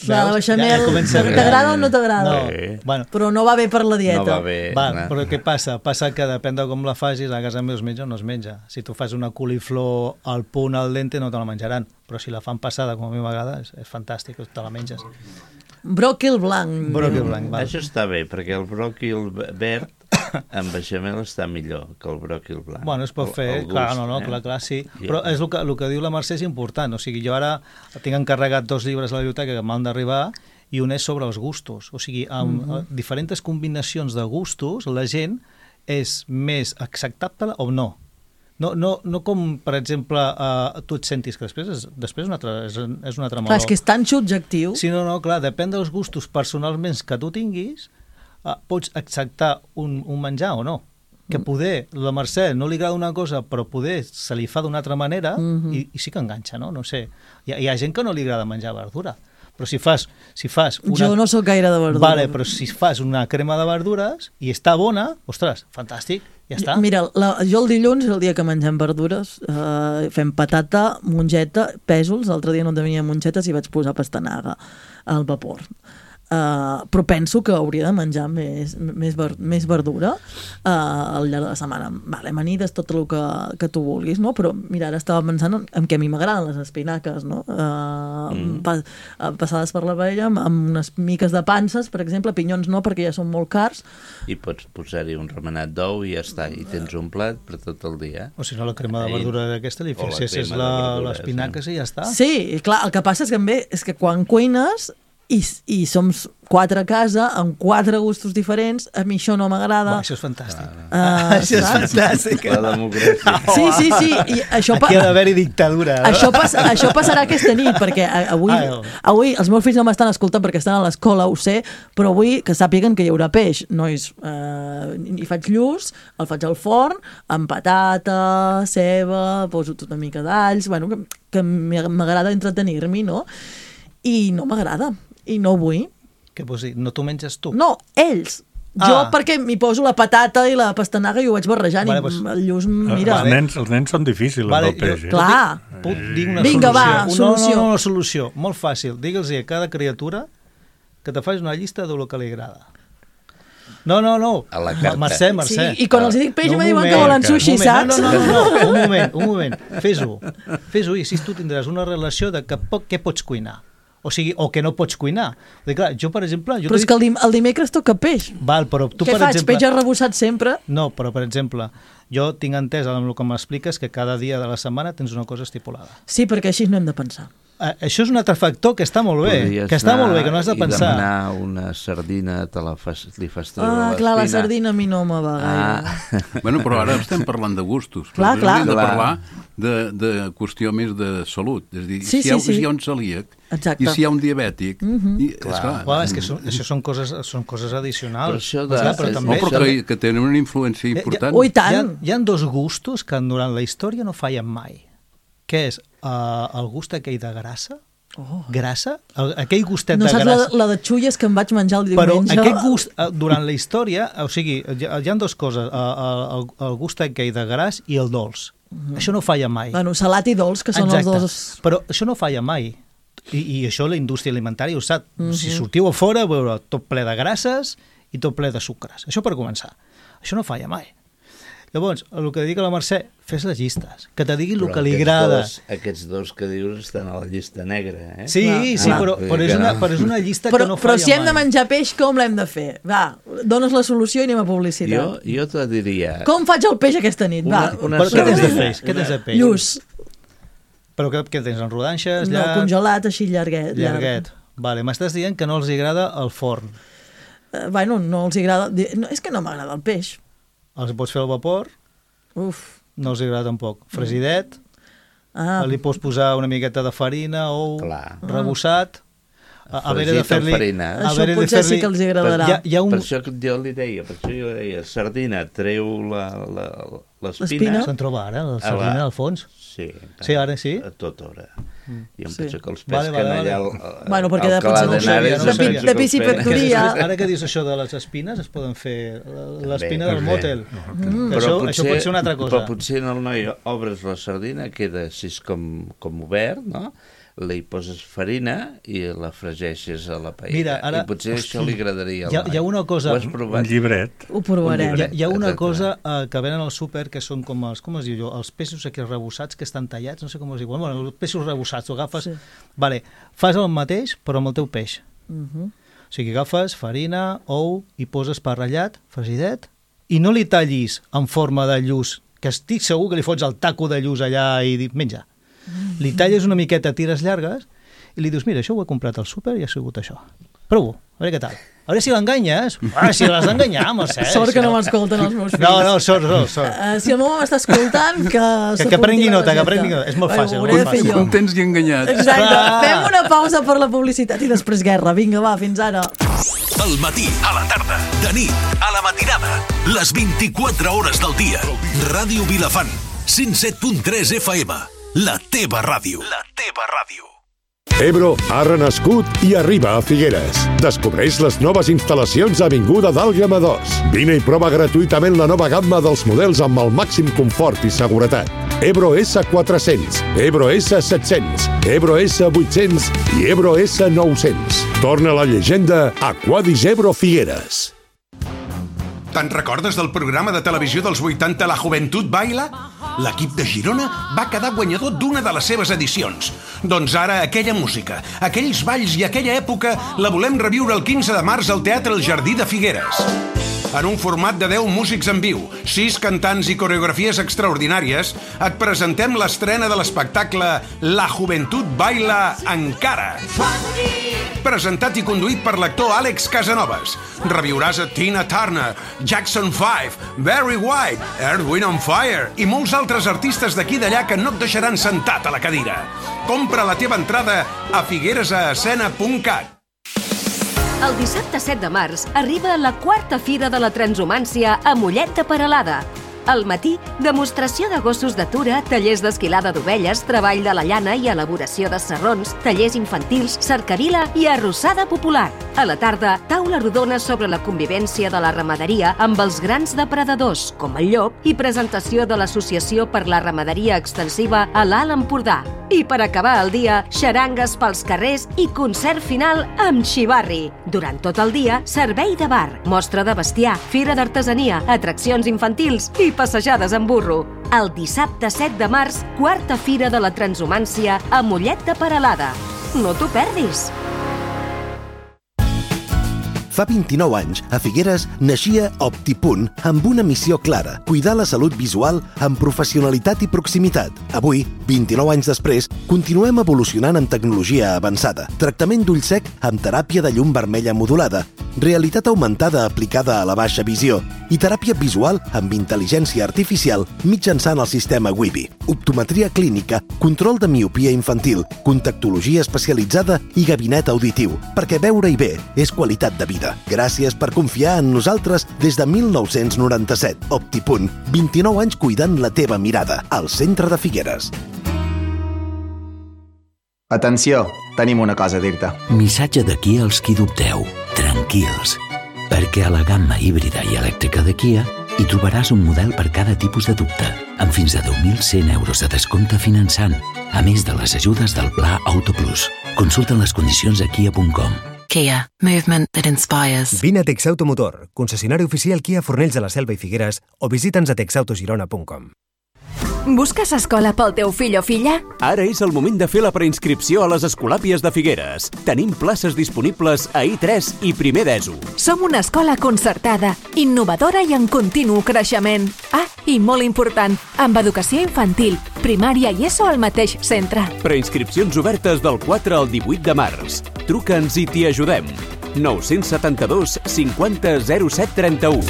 La bechamel, ja, ja t'agrada o no t'agrada? No, sí. Bueno, però no va bé per la dieta. No va bé. Va, no. Però què passa? Passa que depèn de com la facis, a casa meva es menja o no es menja. Si tu fas una coliflor al punt al dente no te la menjaran, però si la fan passada com a mi m'agrada és, és fantàstic, te la menges. Bròquil blanc. Bròquil blanc, val. Això està bé, perquè el bròquil verd amb beixamel està millor que el bròquil blanc. Bueno, es pot fer, el, el gust, clar, no, no, eh? clar, clar, sí. Yeah. Però és el que, el que diu la Mercè és important. O sigui, jo ara tinc encarregat dos llibres a la biblioteca que m'han d'arribar i un és sobre els gustos. O sigui, amb mm-hmm. diferents combinacions de gustos, la gent és més acceptable o no. No, no, no com, per exemple, uh, tu et sentis, que després és, després un altre, és, és un altre meló. Clar, és que és tan subjectiu. Sí, no, no, clar, depèn dels gustos personalment que tu tinguis, uh, pots acceptar un, un menjar o no. Que poder, la Mercè no li agrada una cosa, però poder se li fa d'una altra manera, mm-hmm. i, i sí que enganxa, no? No sé. Hi ha, hi ha gent que no li agrada menjar verdura. Però si fas, si fas una... Jo no sóc gaire de verdura. Vale, però si fas una crema de verdures i està bona, ostres, fantàstic, ja està. Mira, la, jo el dilluns, el dia que mengem verdures, eh, fem patata, mongeta, pèsols, l'altre dia no tenia mongetes i vaig posar pastanaga al vapor. Uh, però penso que hauria de menjar més, més, ver, més verdura uh, al llarg de la setmana. Vale, amanides, tot el que, que tu vulguis, no? Però mira, ara estava pensant en, en què a mi m'agraden les espinaques, no? Uh, mm. pa, uh, passades per la paella amb, amb unes miques de panses, per exemple, pinyons no, perquè ja són molt cars. I pots posar-hi un remenat d'ou i ja està, i tens un plat per tot el dia. O si no, la crema de verdura d'aquesta li fixessis l'espinaca i ja està. Sí, clar, el que passa és que, bé, és que quan cuines I, i som quatre a casa amb quatre gustos diferents, a mi això no m'agrada. Això és fantàstic. Uh, això és fantàstic. La democràcia. Sí, sí, sí. I això Aquí ha d'haver-hi dictadura. No? Això, pas, això passarà aquesta nit, perquè avui, avui els meus fills no m'estan escoltant perquè estan a l'escola, ho sé, però vull que sàpiguen que hi haurà peix. Nois, eh, hi faig lluç, el faig al forn, amb patata, ceba, poso tota una mica d'alls, bueno, que, que m'agrada entretenir-m'hi, no? I no m'agrada. I no vull. Què vols dir? No t'ho menges tu? No, ells. Ah. Jo perquè m'hi poso la patata i la pastanaga i ho vaig barrejant vale, i pues, el lluç, mira... Els nens, els nens són difícils vale, amb el peix. Jo, eh? Clar. Puc dir una Vinga, solució? va, solució. No, no, no, solució. Molt fàcil. Digue'ls a cada criatura que te faci una llista del que li agrada. No, no, no. A la carta. Mercè, Mercè. Sí, i quan els dic peix no, me diuen que volen sushi, saps? No, no, no, no, un moment, un moment. Fes-ho. Fes-ho i així tu tindràs una relació de que poc, què pots cuinar. O sigui, o que no pots cuinar. Dir, clar, jo, per exemple... Jo però és que el, dim el dimecres toca peix. Val, però tu, Què per faig, exemple... peix arrebossat sempre? No, però, per exemple, jo tinc entès amb el que m'expliques que cada dia de la setmana tens una cosa estipulada. Sí, perquè així no hem de pensar. Uh, això és un altre factor que està molt bé. Podries que està molt bé, que no has de pensar. I demanar una sardina, te la fas, li fas treure ah, l'espina. clar, la sardina a mi no me va gaire. Ah. Bueno, però ara estem parlant de gustos. Clar, clar. Hem de clar. parlar de, de qüestió més de salut. És a dir, sí, si, hi ha, sí, sí. si hi ha un celíac, exacte. i si hi ha un diabètic... Mm-hmm. i, clar. Esclar, Clar, és que són, això són coses, són coses addicionals. Però això de... Clar, però també, no, però que, que tenen una influència important. Ui, tant. Hi ha, hi ha dos gustos que durant la història no fallen mai. Què és? Uh, el gust aquell de grassa, Oh. grassa, el, aquell gustet no de grassa. No saps la, la de xulles que em vaig menjar el diumenge? Però aquest gust, durant la història, o sigui, hi ha, hi ha dues coses, el, el, el gust aquell de gras i el dolç. Mm. Això no falla mai. Bueno, salat i dolç, que són Exacte. els dos... Però això no falla mai. I, i això la indústria alimentària ho sap. Mm-hmm. Si sortiu a fora, veureu tot ple de grasses i tot ple de sucres. Això per començar. Això no falla mai. Llavors, el que dic a la Mercè, fes les llistes, que te digui el que li agrada. Dos, aquests dos que dius estan a la llista negra, eh? Sí, clar, sí, clar. Però, però, és una, però és una llista però, que no però falla mai. Però si hem de menjar peix, com l'hem de fer? Va, dones la solució i anem a publicitat. Jo, jo te diria... Com faig el peix aquesta nit? Una, Va. una però què tens de peix? Una... Què tens de peix? Lluç. Però què, què tens, en rodanxes? No, llarg... congelat, així llarguet. Llarguet. Vale, m'estàs dient que no els agrada el forn. Uh, bueno, no els agrada... No, és que no m'agrada el peix. Els pots fer al vapor... Uf. No els agrada tampoc. Fresidet, ah. li pots posar una miqueta de farina, ou Clar. rebossat, a, a veure de fer-li... Això potser sí que els agradarà. Per, hi ha un... per això que jo li deia, per això jo deia, sardina, treu l'espina... Se'n troba ara, la sardina la... al fons? Sí. Sí, ara sí? A tota hora. Mm. I em sí. penso que els pesquen vale, vale, allà... El, el, bueno, perquè de, no no sabia, no sabia. de piscifactoria... Ara que dius això de les espines, es poden fer l'espina del mòtel. Mm. Això, potser, això pot ser una altra cosa. Però potser en el noi obres la sardina, queda així com, com obert, no? Li poses farina i la fregeixes a la paella. Mira, ara, I potser hosti, això li agradaria al hi ha, hi ha una cosa... Ho has provat? Un llibret. Ho provarem. Hi ha, hi ha una Exacte. cosa uh, que venen al súper que són com els, com es diu jo, els peixos aquí rebossats que estan tallats, no sé com es diu, bueno, els peixos rebossats, ho agafes... Sí. Vale, fas el mateix però amb el teu peix. Uh-huh. O sigui, agafes farina, ou, i poses pa ratllat, fresidet, i no li tallis en forma de lluç, que estic segur que li fots el taco de lluç allà i dic, menja. Uh-huh. Li talles una miqueta a tires llargues i li dius, mira, això ho he comprat al súper i ha sigut això. Prova-ho, a veure què tal. A veure si l'enganyes. Ah, si l'has d'enganyar, Mercè. Sort que no m'escolten els meus fills. No, no, sort, sort, sort. Uh, si el meu home m'està escoltant, que... Que, que prengui nota, que prengui nota. És molt fàcil, molt fàcil. Contents i enganyats. Exacte. Fem una pausa per la publicitat i després guerra. Vinga, va, fins ara. Al matí, a la tarda, de nit, a la matinada, les vint-i-quatre hores del dia. Ràdio Vilafant, cent set punt tres F M. La teva ràdio. La teva ràdio. Ebro ha renascut i arriba a Figueres. Descobreix les noves instal·lacions a Avinguda d'Àlguema dos. Vine i prova gratuïtament la nova gamma dels models amb el màxim confort i seguretat. Ebro S quatre-cents, Ebro S set-cents, Ebro S vuit-cents i Ebro S nou-cents. Torna la llegenda Aquadis Ebro Figueres. Te'n recordes del programa de televisió dels vuitanta La Juventud Baila? L'equip de Girona va quedar guanyador d'una de les seves edicions. Doncs ara aquella música, aquells balls i aquella època la volem reviure el quinze de març al Teatre El Jardí de Figueres. En un format de deu músics en viu, sis cantants i coreografies extraordinàries, et presentem l'estrena de l'espectacle La Juventud Baila Encara. Presentat i conduït per l'actor Àlex Casanovas. Reviuràs a Tina Turner, Jackson five, Barry White, Earth, Wind and Fire i molts altres artistes d'aquí i d'allà que no et deixaran sentat a la cadira. Compra la teva entrada a figueresescena punt cat. El dissabte set de març arriba la quarta Fira de la Transhumància a Mollet de Peralada. Al matí, demostració de gossos d'atura, tallers d'esquilada d'ovelles, treball de la llana i elaboració de sarrons, tallers infantils, cercavila i arrossada popular. A la tarda, taula rodona sobre la convivència de la ramaderia amb els grans depredadors, com el llop, i presentació de l'Associació per la Ramaderia Extensiva a l'Alt Empordà. I per acabar el dia, xarangues pels carrers i concert final amb xivarri. Durant tot el dia, servei de bar, mostra de bestiar, fira d'artesania, atraccions infantils i passejades en burro. El dissabte set de març, quarta Fira de la Transhumància a Mollet de Peralada. No t'ho perdis! Fa vint-i-nou anys, a Figueres, naixia OptiPunt amb una missió clara, cuidar la salut visual amb professionalitat i proximitat. Avui, vint-i-nou anys després, continuem evolucionant amb tecnologia avançada, tractament d'ull sec amb teràpia de llum vermella modulada, realitat augmentada aplicada a la baixa visió i teràpia visual amb intel·ligència artificial mitjançant el sistema Wibi, optometria clínica, control de miopia infantil, contactologia especialitzada i gabinet auditiu, perquè veure-hi bé és qualitat de vida. Gràcies per confiar en nosaltres des de mil nou-cents noranta-set. OptiPunt, vint-i-nou anys cuidant la teva mirada, al centre de Figueres. Atenció, tenim una cosa a dir-te. Missatge de Kia als qui dubteu. Tranquils, perquè a la gamma híbrida i elèctrica de Kia hi trobaràs un model per cada tipus de dubte, amb fins a deu mil cent euros de descompte finançant, a més de les ajudes del Pla Auto Plus. Consulta les condicions a kia punt com. Kia, movement that inspires. Vine a Texautomotor, concessionari oficial Kia Fornells de la Selva i Figueres, o visita'ns a texautogirona punt com. Busques escola pel teu fill o filla? Ara és el moment de fer la preinscripció a les Escolàpies de Figueres. Tenim places disponibles a I tres i primer d'ESO. Som una escola concertada, innovadora i en continu creixement. Ah, i molt important, amb educació infantil, primària i ESO al mateix centre. Preinscripcions obertes del quatre al divuit de març. Truca'ns i t'hi ajudem. nou set dos cinquanta zero set trenta-u.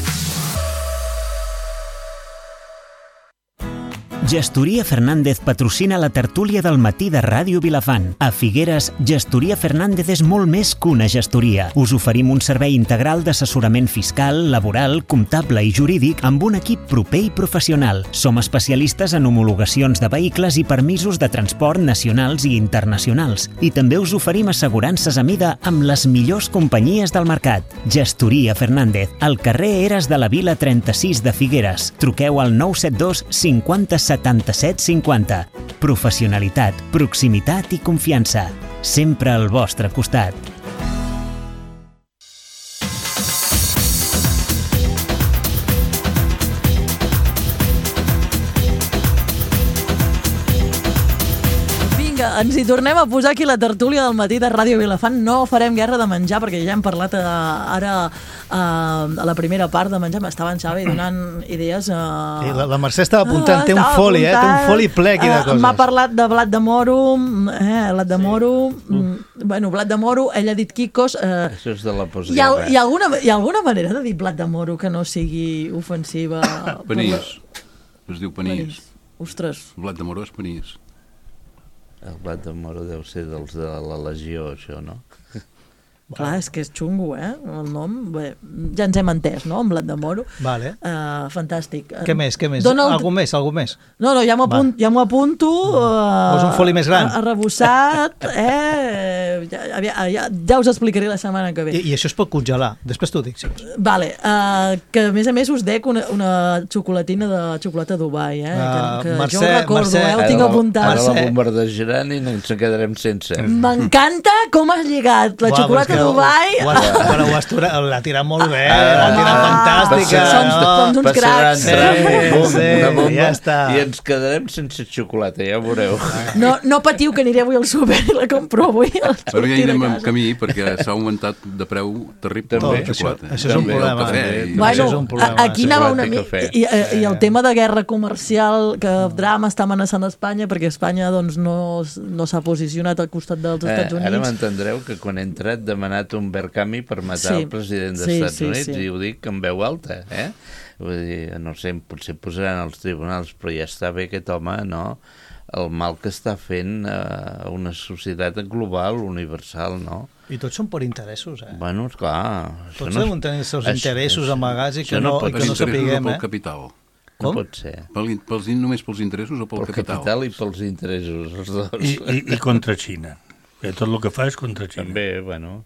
Gestoria Fernández patrocina la tertúlia del matí de Ràdio Vilafant. A Figueres, Gestoria Fernández és molt més que una gestoria. Us oferim un servei integral d'assessorament fiscal, laboral, comptable i jurídic amb un equip proper i professional. Som especialistes en homologacions de vehicles i permisos de transport nacionals i internacionals. I també us oferim assegurances a mida amb les millors companyies del mercat. Gestoria Fernández, al carrer Eres de la Vila trenta-sis de Figueres. Truqueu al nou set dos cinquanta setanta-set cinquanta. Professionalitat, proximitat i confiança. Sempre al vostre costat. Vinga, Vinga, ens hi tornem a posar aquí la tertúlia del matí de Ràdio Vilafant. No farem guerra de menjar, perquè ja hem parlat uh, ara uh, a la primera part de menjar. M'estava en Xavi donant idees. Uh... Sí, la, la Mercè estava apuntant, uh, té un foli, eh? Té un foli ple aquí de coses. Uh, M'ha parlat de blat de moro, eh, blat de moro, sí. mm, bueno, blat de moro, ell ha dit quicos. Uh, Això és de la postguerra. Hi ha, hi, ha alguna, hi ha alguna manera de dir blat de moro que no sigui ofensiva? Panís. Es diu panís. panís. Ostres. El blat de moro és panís. El blat de moro deu ser dels de la Legió, això, no? Clar, és que és xungo, eh? El nom, bé, ja ens hem entès, no? En blat de moro. Vale. Uh, fantàstic. Què més, què més? El... Algú més, algú més? No, no, ja m'ho apunto. Ja apunto uh, Vols un foli més gran? Arrebossat, eh? Ja, ja, ja, ja us explicaré la setmana que ve. I, i això es pot congelar. Després t'ho dic, sí. Vale, uh, que a més a més us dec una, una xocolatina de xocolata Dubai, eh? Uh, que que Mercè, jo ho recordo, Mercè, eh? Ho tinc apuntat. Ara la bombardejaran i no ens en quedarem sense. M'encanta com has lligat la Uà, xocolata Dubai. Ho has, però ho has tirat, l'ha tirat molt bé, l'ha tirat fantàstica. Som, som uns cracs. Sí, sí, una bomba, ja està. I ens quedarem sense xocolata, ja ho veureu. No, no patiu, que aniré avui al súper i la compro avui. Però ja anirem en camí, perquè s'ha augmentat de preu terrible També, la xocolata. Això, això és un problema. Cafè, i... Bueno, és un problema. Aquí anava una mica... I, i, I el tema de guerra comercial, que drama està amenaçant Espanya, perquè Espanya doncs, no, no s'ha posicionat al costat dels Estats Units. Eh, ara m'entendreu que quan he entrat demanat un vercami per matar sí. el president dels sí, Estats sí, Units sí. i ho dic en veu alta, eh? Vull dir, no sé, potser posaran als tribunals, però ja està bé aquest home, no? El mal que està fent a una societat global, universal, no? I tots són per interessos, eh? Bueno, esclar... Tots deuen tenir els seus interessos amagats i que no, no, i que no sapiguem, pel eh? capital. Com? No pot ser. Pel, pels, només pels interessos o pel, pel capital? Pel capital i pels interessos, els dos. I, i, i contra Xina. Tot el que fa és contra Xina. També, bueno...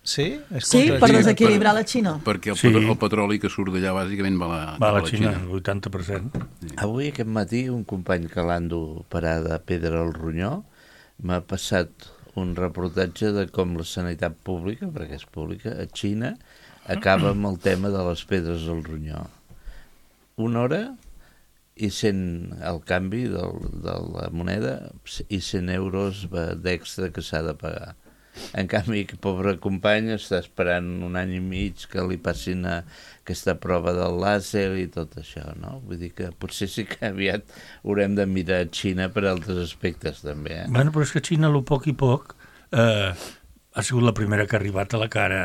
Sí? És sí, per desequilibrar la Xina. Perquè el, sí. el petroli que surt d'allà bàsicament va a la, va a la, la Xina. Xina. El vuitanta per cent. Sí. Avui, aquest matí, un company que l'ando parada a Pedra al Ronyó m'ha passat un reportatge de com la sanitat pública, perquè és pública, a Xina, acaba amb el tema de les pedres al Ronyó. Una hora i cent el canvi del, de la moneda i cent euros d'extra que s'ha de pagar. En canvi, que pobre company està esperant un any i mig que li passin a aquesta prova del làser i tot això, no? Vull dir que potser sí que aviat haurem de mirar Xina per altres aspectes, també, eh? Bueno, però és que Xina, a poc i poc, eh, ha sigut la primera que ha arribat a la cara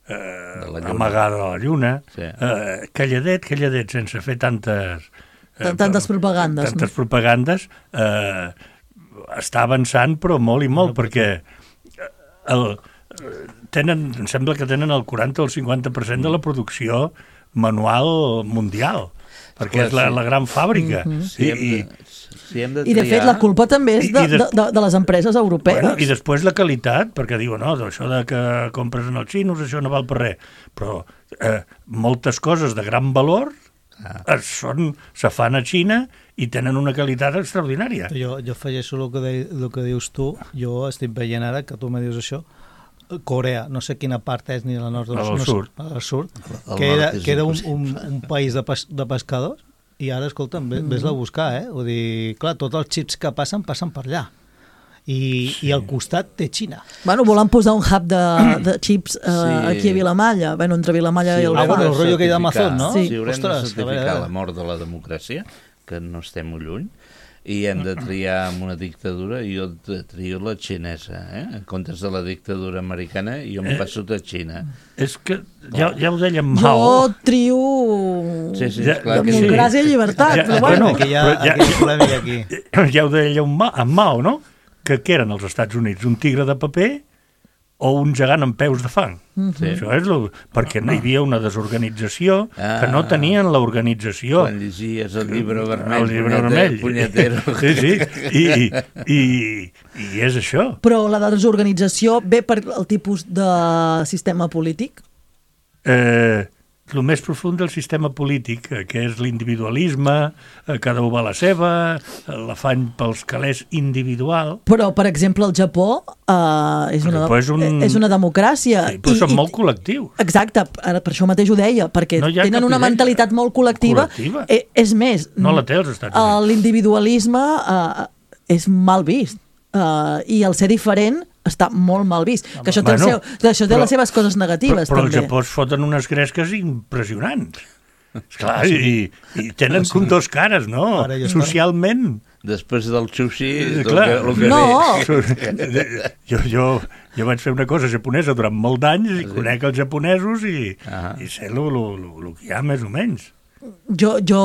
eh, amagada de la lluna. Sí. Eh, calladet, calladet, sense fer tantes... Eh, tantes propagandes. Tantes no? propagandes. Eh, està avançant, però molt i molt, no, perquè... El, tenen, em sembla que tenen el quaranta o el cinquanta per cent de la producció manual mundial, perquè Clar, és la, sí. la gran fàbrica. Mm-hmm. Sí, I, de, si hem de I de fet la culpa també és de, de, de, de les empreses europees. Bueno, I després la qualitat, perquè diuen, no, això de que compres en els xinos, això no val per res, però eh, moltes coses de gran valor ah. són, se fan a Xina i tenen una qualitat extraordinària. Jo, jo afegeixo el que, de, el que dius tu, jo estic veient ara que tu me dius això, Corea, no sé quina part és ni la nord, al no, sud, no, al sud que era, que era un, un, un país de, pes, de pescadors i ara, escolta'm, ves, ves-la a buscar, eh? Vull dir, clar, tots els xips que passen, passen per allà. I, sí. i al costat té Xina. Bueno, volen posar un hub de, de xips uh, sí. aquí a Vilamalla, bueno, entre Vilamalla sí, i el ah, bueno, el rotllo que hi ha d'Amazon, no? Sí, sí haurem Ostres, de certificar la mort de la democràcia, que no estem molt lluny, i hem de triar amb una dictadura, i jo trio la xinesa, eh? En comptes de la dictadura americana, i jo em passo a Xina. És que ja, ja ho deia Mao. Jo trio sí, sí, ja, democràcia sí. i llibertat, ja, però bueno. Aquí hi ha, ja, aquí hi ha polèmica aquí. Ja ho deia en Mao, no? Que què eren els Estats Units? Un tigre de paper o un gegant amb peus de fang? Sí. Això és lo, perquè no hi havia una desorganització, ah, que no tenien l'organització. Quan llegies el llibre vermell, el llibre vermell. Punyetero. Sí, sí, i, i, i, i és això. Però la desorganització ve per el tipus de sistema polític? Eh, el més profund del sistema polític, que és l'individualisme, cada un va a la seva, l'afany pels calés individual. Però, per exemple, el Japó eh, és, una, és, un... és una democràcia. Sí, però I, són i, molt col·lectius. Exacte, ara per això mateix ho deia, perquè no tenen una mentalitat molt col·lectiva. col·lectiva. Eh, és més, no la té als Estats Units. L'individualisme... Eh, és mal vist. Uh, I el ser diferent està molt mal vist. Que això té, bueno, el seu, això té però, les seves coses negatives, però, però també. Però al Japó es foten unes gresques impressionants. Esclar, i, i tenen com dos cares, no? Socialment. Després del sushi, el clar, que, el que no. jo, jo, jo vaig fer una cosa japonesa durant molt d'anys i conec els japonesos i, ah. i sé el que hi ha més o menys. Jo, jo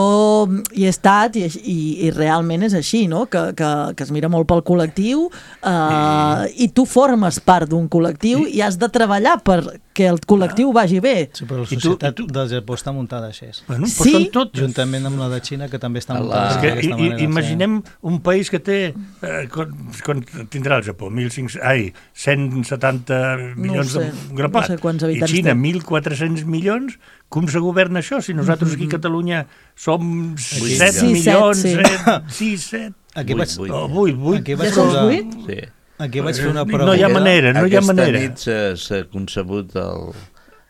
hi he estat i, i, i realment és així, no? Que, que, que es mira molt pel col·lectiu uh, i... i tu formes part d'un col·lectiu i... i has de treballar perquè el col·lectiu vagi bé. Sí, però la societat tu, tu... del Japó està muntada així. Bueno, sí? Tot... Juntament amb la de Xina, que també està muntada d'aquesta manera. Imaginem sí. un país que té, eh, quan, quan tindrà el Japó, mil cinc-cents, ai, cent setanta milions no sé, de grapat, no sé quants habitants i Xina té. mil quatre-cents milions. Com se governa això? Si nosaltres aquí a Catalunya som set milions, sis, set... Aquí vaig... vuit, vuit. Aquí vaig posar... Sí. Aquí vaig fer una pregunta. No hi ha manera, no hi ha manera. Aquesta nit s'ha concebut el,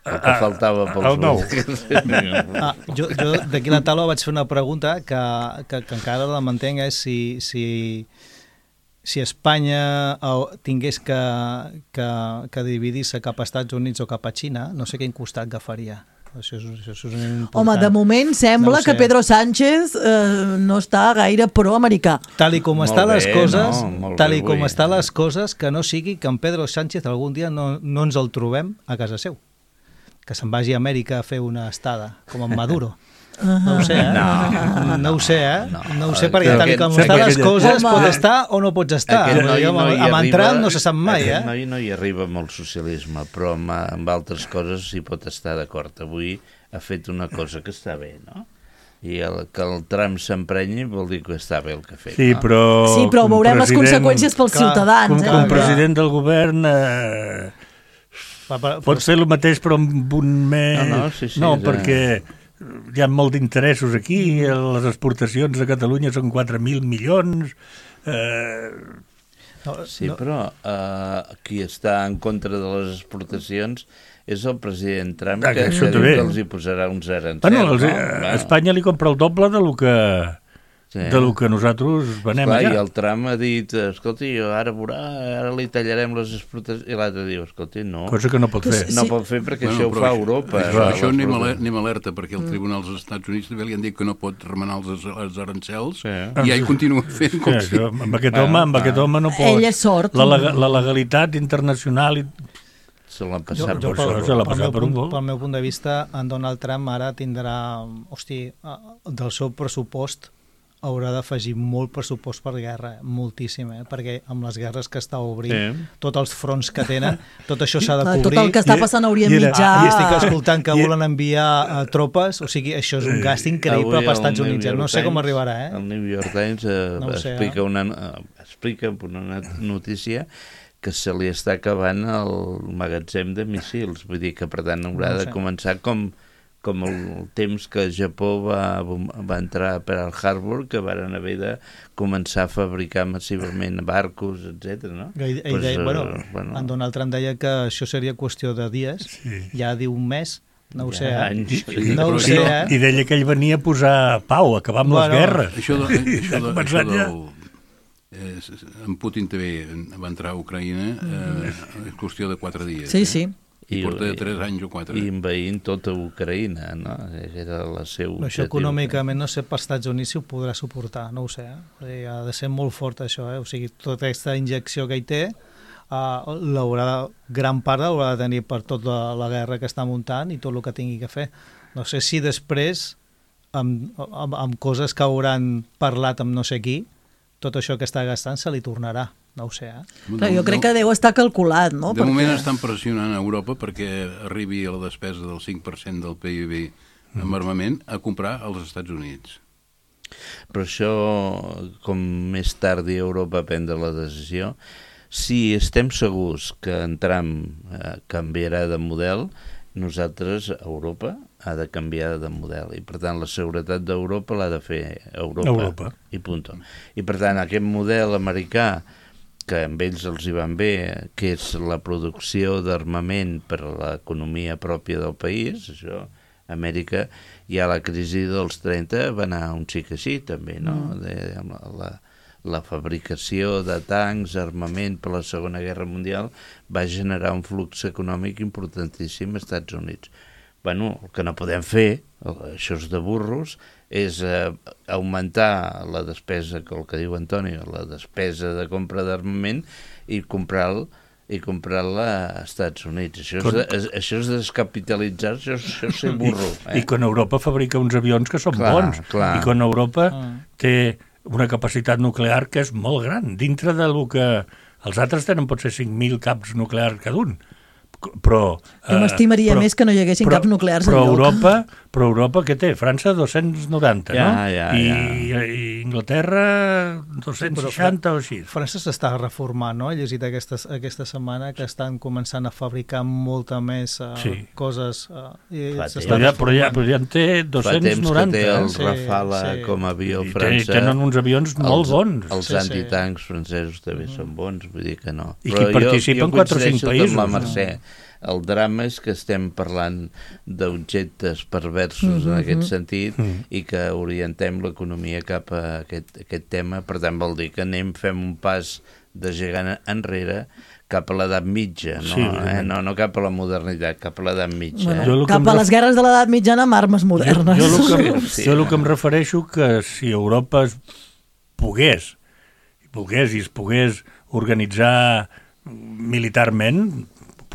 el que faltava pels el nou. ah, jo jo d'aquí la taula vaig fer una pregunta que, que, que encara la mantenc, és si... si si Espanya tingués que, que, que dividir-se cap a Estats Units o cap a Xina, no sé quin costat agafaria. Això és, això és important. Home, de moment sembla no que Pedro Sánchez eh, no està gaire pro-americà. Tal i com molt estan bé, les coses, no, tal i bé, com bé. estan les coses, que no sigui que en Pedro Sánchez algun dia no, no ens el trobem a casa seu. Que se'n vagi a Amèrica a fer una estada, com en Maduro. No ho sé, eh? No, no ho sé, eh? No, no ho sé, perquè tal com estan les coses pots estar o no pots estar. Aquest noi no hi amb entrar arriba, no se sap mai, eh? Aquest noi no hi arriba amb el socialisme, però amb, amb altres coses s'hi pot estar d'acord. Avui ha fet una cosa que està bé, no? I el, que el Trump s'emprenyi vol dir que està bé el que ha fet. Sí, però, no? sí, però veurem les conseqüències pels clar, ciutadans. Com, eh? com president del govern... Eh, pot fer el mateix però amb un més... No, no, sí, sí, no és, perquè... hi ha molt d'interessos aquí, les exportacions a Catalunya són quatre mil milions... Eh... No, sí, no. Però uh, qui està en contra de les exportacions és el president Trump, ah, que, que diu que els hi posarà uns arancels. Bueno, els, no? A Espanya li compra el doble de lo que... Sí. De lo que nosaltres venem Esclar, allà. I el Trump ha dit, escolti, ara veurà, ara li tallarem les exportacions, i l'altre diu, escolti, no. Cosa que no pot fer. No sí. pot fer perquè bueno, això ho fa Europa. Això, això anem, alerta, anem alerta, perquè el Tribunal dels Estats Units també li han dit que no pot remenar els, els arancels, sí. i ell continua fent com sí, si... Això, amb aquest home, amb aquest home no pot... Ell és sort. La, la, la legalitat internacional... I... Se l'ha passat jo, jo, per, pel, per, pel, meu punt, pel meu punt de vista, en Donald Trump ara tindrà, hosti, del seu pressupost haurà d'afegir molt pressupost per guerra, moltíssim, eh? Perquè amb les guerres que està obrint, sí. tots els fronts que tenen, tot això s'ha de cobrir. Tot el que està passant a Orient Mitjà. I estic escoltant que volen enviar uh, tropes, o sigui, això és un gast increïble per als Estats Units. No sé com arribarà, eh? El New York Times uh, no sé, explica, eh? una, uh, explica una notícia que se li està acabant el magatzem de míssils, vull dir que per tant haurà no de començar com... com el temps que Japó va, va entrar a Pearl Harbor, que van haver de començar a fabricar massivament barcos, etcètera. No? Ell, ell pues, deia, bueno, uh, bueno, en Donald Trump deia que això seria qüestió de dies, sí. ja diu un mes, no ho ja, sé, anys, eh? no ho sé, eh? I deia que ell venia a posar pau, a acabar amb bueno, les guerres. Això, de, això, de, això del... Eh, en Putin també va entrar a Ucraïna, eh, és qüestió de quatre dies. Sí, sí. I porta de tres anys o quatre. I envaint tota Ucraïna, no? Era la seu això econòmicament no sé per Estats Units si ho podrà suportar, no ho sé. Eh? Ha de ser molt fort això, eh? O sigui, tota aquesta injecció que hi té, uh, l'haurà, gran part l'haurà de tenir per tota la guerra que està muntant i tot el que tingui que fer. No sé si després, amb, amb, amb coses que hauran parlat amb no sé qui, tot això que està gastant se li tornarà. No ho sé, eh? Però jo crec que deu estar calculat, no? De perquè... moment estan pressionant a Europa perquè arribi a la despesa del cinc per cent del P I B en armament a comprar als Estats Units. Però això, com més tard i Europa prendre la decisió, si estem segurs que en Trump eh, canviarà de model, nosaltres, Europa, ha de canviar de model. I, per tant, la seguretat d'Europa l'ha de fer Europa. Europa. I punt. I, per tant, aquest model americà que amb ells els hi van bé, que és la producció d'armament per a l'economia pròpia del país, això, Amèrica, ja la crisi dels trenta va anar un xic així, també, no? De, la, la, la fabricació de tancs, armament per la Segona Guerra Mundial, va generar un flux econòmic importantíssim als Estats Units. Bueno, el que no podem fer, això és de burros, és eh, augmentar la despesa, el que diu Antonio, la despesa de compra d'armament i comprar-la i comprar-la als Estats Units. Això és, de, això és descapitalitzar, això, això és ser burro. Eh? I, I quan Europa fabrica uns avions que són clar, bons, clar. I quan Europa ah. té una capacitat nuclear que és molt gran, dintre del que els altres tenen potser cinc mil caps nuclears cada un. Però... Jo m'estimaria eh, més que no hi haguessin però, caps nuclears però enlloc. Europa, però Europa què té? França dos-cents noranta, ja, no? Ja, I, ja. I Inglaterra dos-cents seixanta o així. França s'està reformant, no? He llegit aquesta, aquesta setmana que estan començant a fabricar molta més uh, sí. coses. Uh, i però, ja, però, ja, però ja en té dos-cents noranta. Fa temps que té el sí, Rafale sí. com a avió I francès. Tenen uns avions molt els, bons. Els sí, antitancs sí. francesos també mm. són bons, vull dir que no. I que participen quatre o cinc països. Amb la Mercè. El drama és que estem parlant d'objectes perversos mm-hmm. en aquest sentit mm-hmm. i que orientem l'economia cap a aquest, aquest tema. Per tant, vol dir que anem, fem un pas de gegant enrere cap a l'edat mitja, no, sí, eh? no, no cap a la modernitat, cap a l'edat mitja. Bueno, eh? jo cap a les guerres de l'edat mitjana amb armes modernes. Jo, jo, el que, sí, jo el que em refereixo que si Europa es pogués, pogués i es pogués organitzar militarment,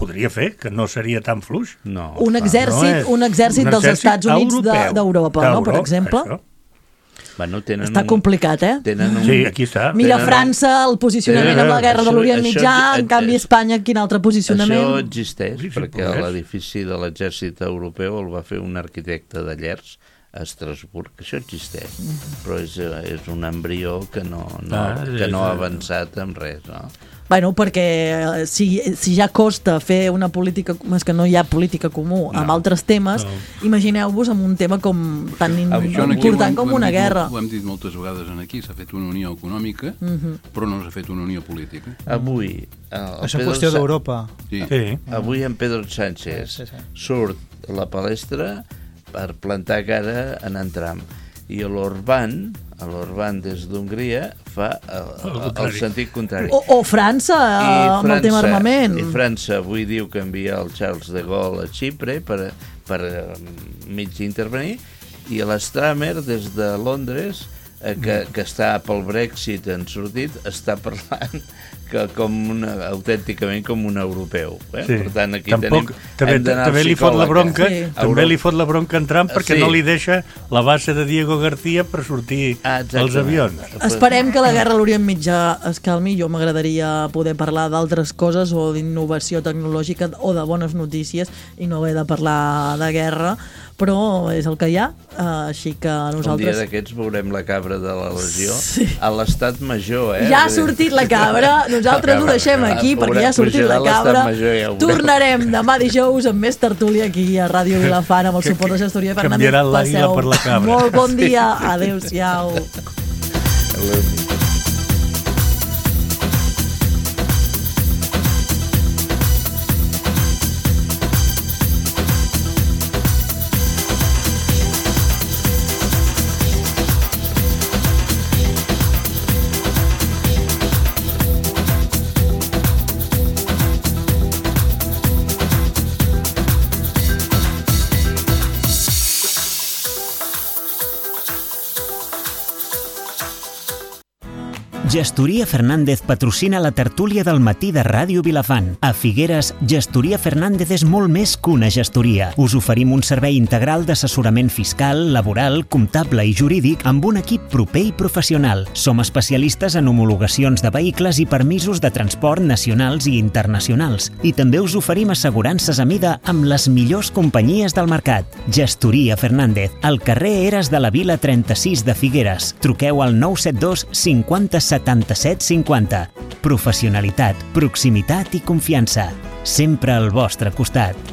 podria fer, que no seria tan fluix. No, un, exèrcit, no és, un exèrcit un dels exèrcit Estats Units d'Europa, no, per exemple? Això. Bueno, tenen està un, complicat, eh? Tenen un, sí, aquí està. Mira tenen França, el posicionament amb la guerra això, de l'Orient això, Mitjà, això, en canvi Espanya, quin altre posicionament? Això existeix, sí, perquè l'edifici de l'exèrcit europeu el va fer un arquitecte de Llers a Estrasburg, això existeix, mm-hmm. però és, és un embrió que no, no, ah, que no ha avançat en res, no? Bueno, perquè si, si ja costa fer una política, és que no hi ha política comú no, amb altres temes, no. Imagineu-vos amb un tema com tan important com una guerra. Ho hem dit moltes vegades aquí, s'ha fet una unió econòmica, uh-huh. però no s'ha fet una unió política. Avui... Això és qüestió d'Europa. Sí. Sí. Avui en Pedro Sánchez sí, sí, sí. surt a la palestra per plantar cara en en Trump. I l'Orbán, l'Orbán des d'Hongria, fa el, el, el sentit contrari. O, o França, amb el tema armament. I França avui diu que envia el Charles de Gaulle a Xipre per, per mig intervenir, i l'Stramer, des de Londres, eh, que, que està pel Brexit en sortit, està parlant que com una, autènticament com un europeu. Eh? Sí. Per tant, aquí Tampoc, tenim, també, hem d'anar també li fot la bronca, sí. també li fot la bronca en Trump perquè sí. no li deixa la base de Diego García per sortir ah, els avions. Esperem que la guerra a l'Orient Mitjà es calmi. Jo m'agradaria poder parlar d'altres coses o d'innovació tecnològica o de bones notícies i no haver de parlar de guerra, però és el que hi ha, així que nosaltres... Un dia d'aquests veurem la cabra de la Legió sí. a l'Estat Major, eh? Ja ha sortit la cabra, nosaltres ho deixem aquí perquè ja ha sortit la cabra. Ja tornarem demà dijous amb més tertúlia aquí a Ràdio Vilafant amb el suport de Gestoria Fernández. Canviarà l'àguila per la cabra. Molt bon dia, adéu-siau. Gestoria Fernández patrocina la tertúlia del matí de Ràdio Vilafant. A Figueres, Gestoria Fernández és molt més que una gestoria. Us oferim un servei integral d'assessorament fiscal, laboral, comptable i jurídic amb un equip proper i professional. Som especialistes en homologacions de vehicles i permisos de transport nacionals i internacionals. I també us oferim assegurances a mida amb les millors companyies del mercat. Gestoria Fernández, al carrer Eres de la Vila trenta-sis de Figueres. Truqueu al nou set dos cinquanta setanta-set cinquanta. Professionalitat, proximitat i confiança. Sempre al vostre costat.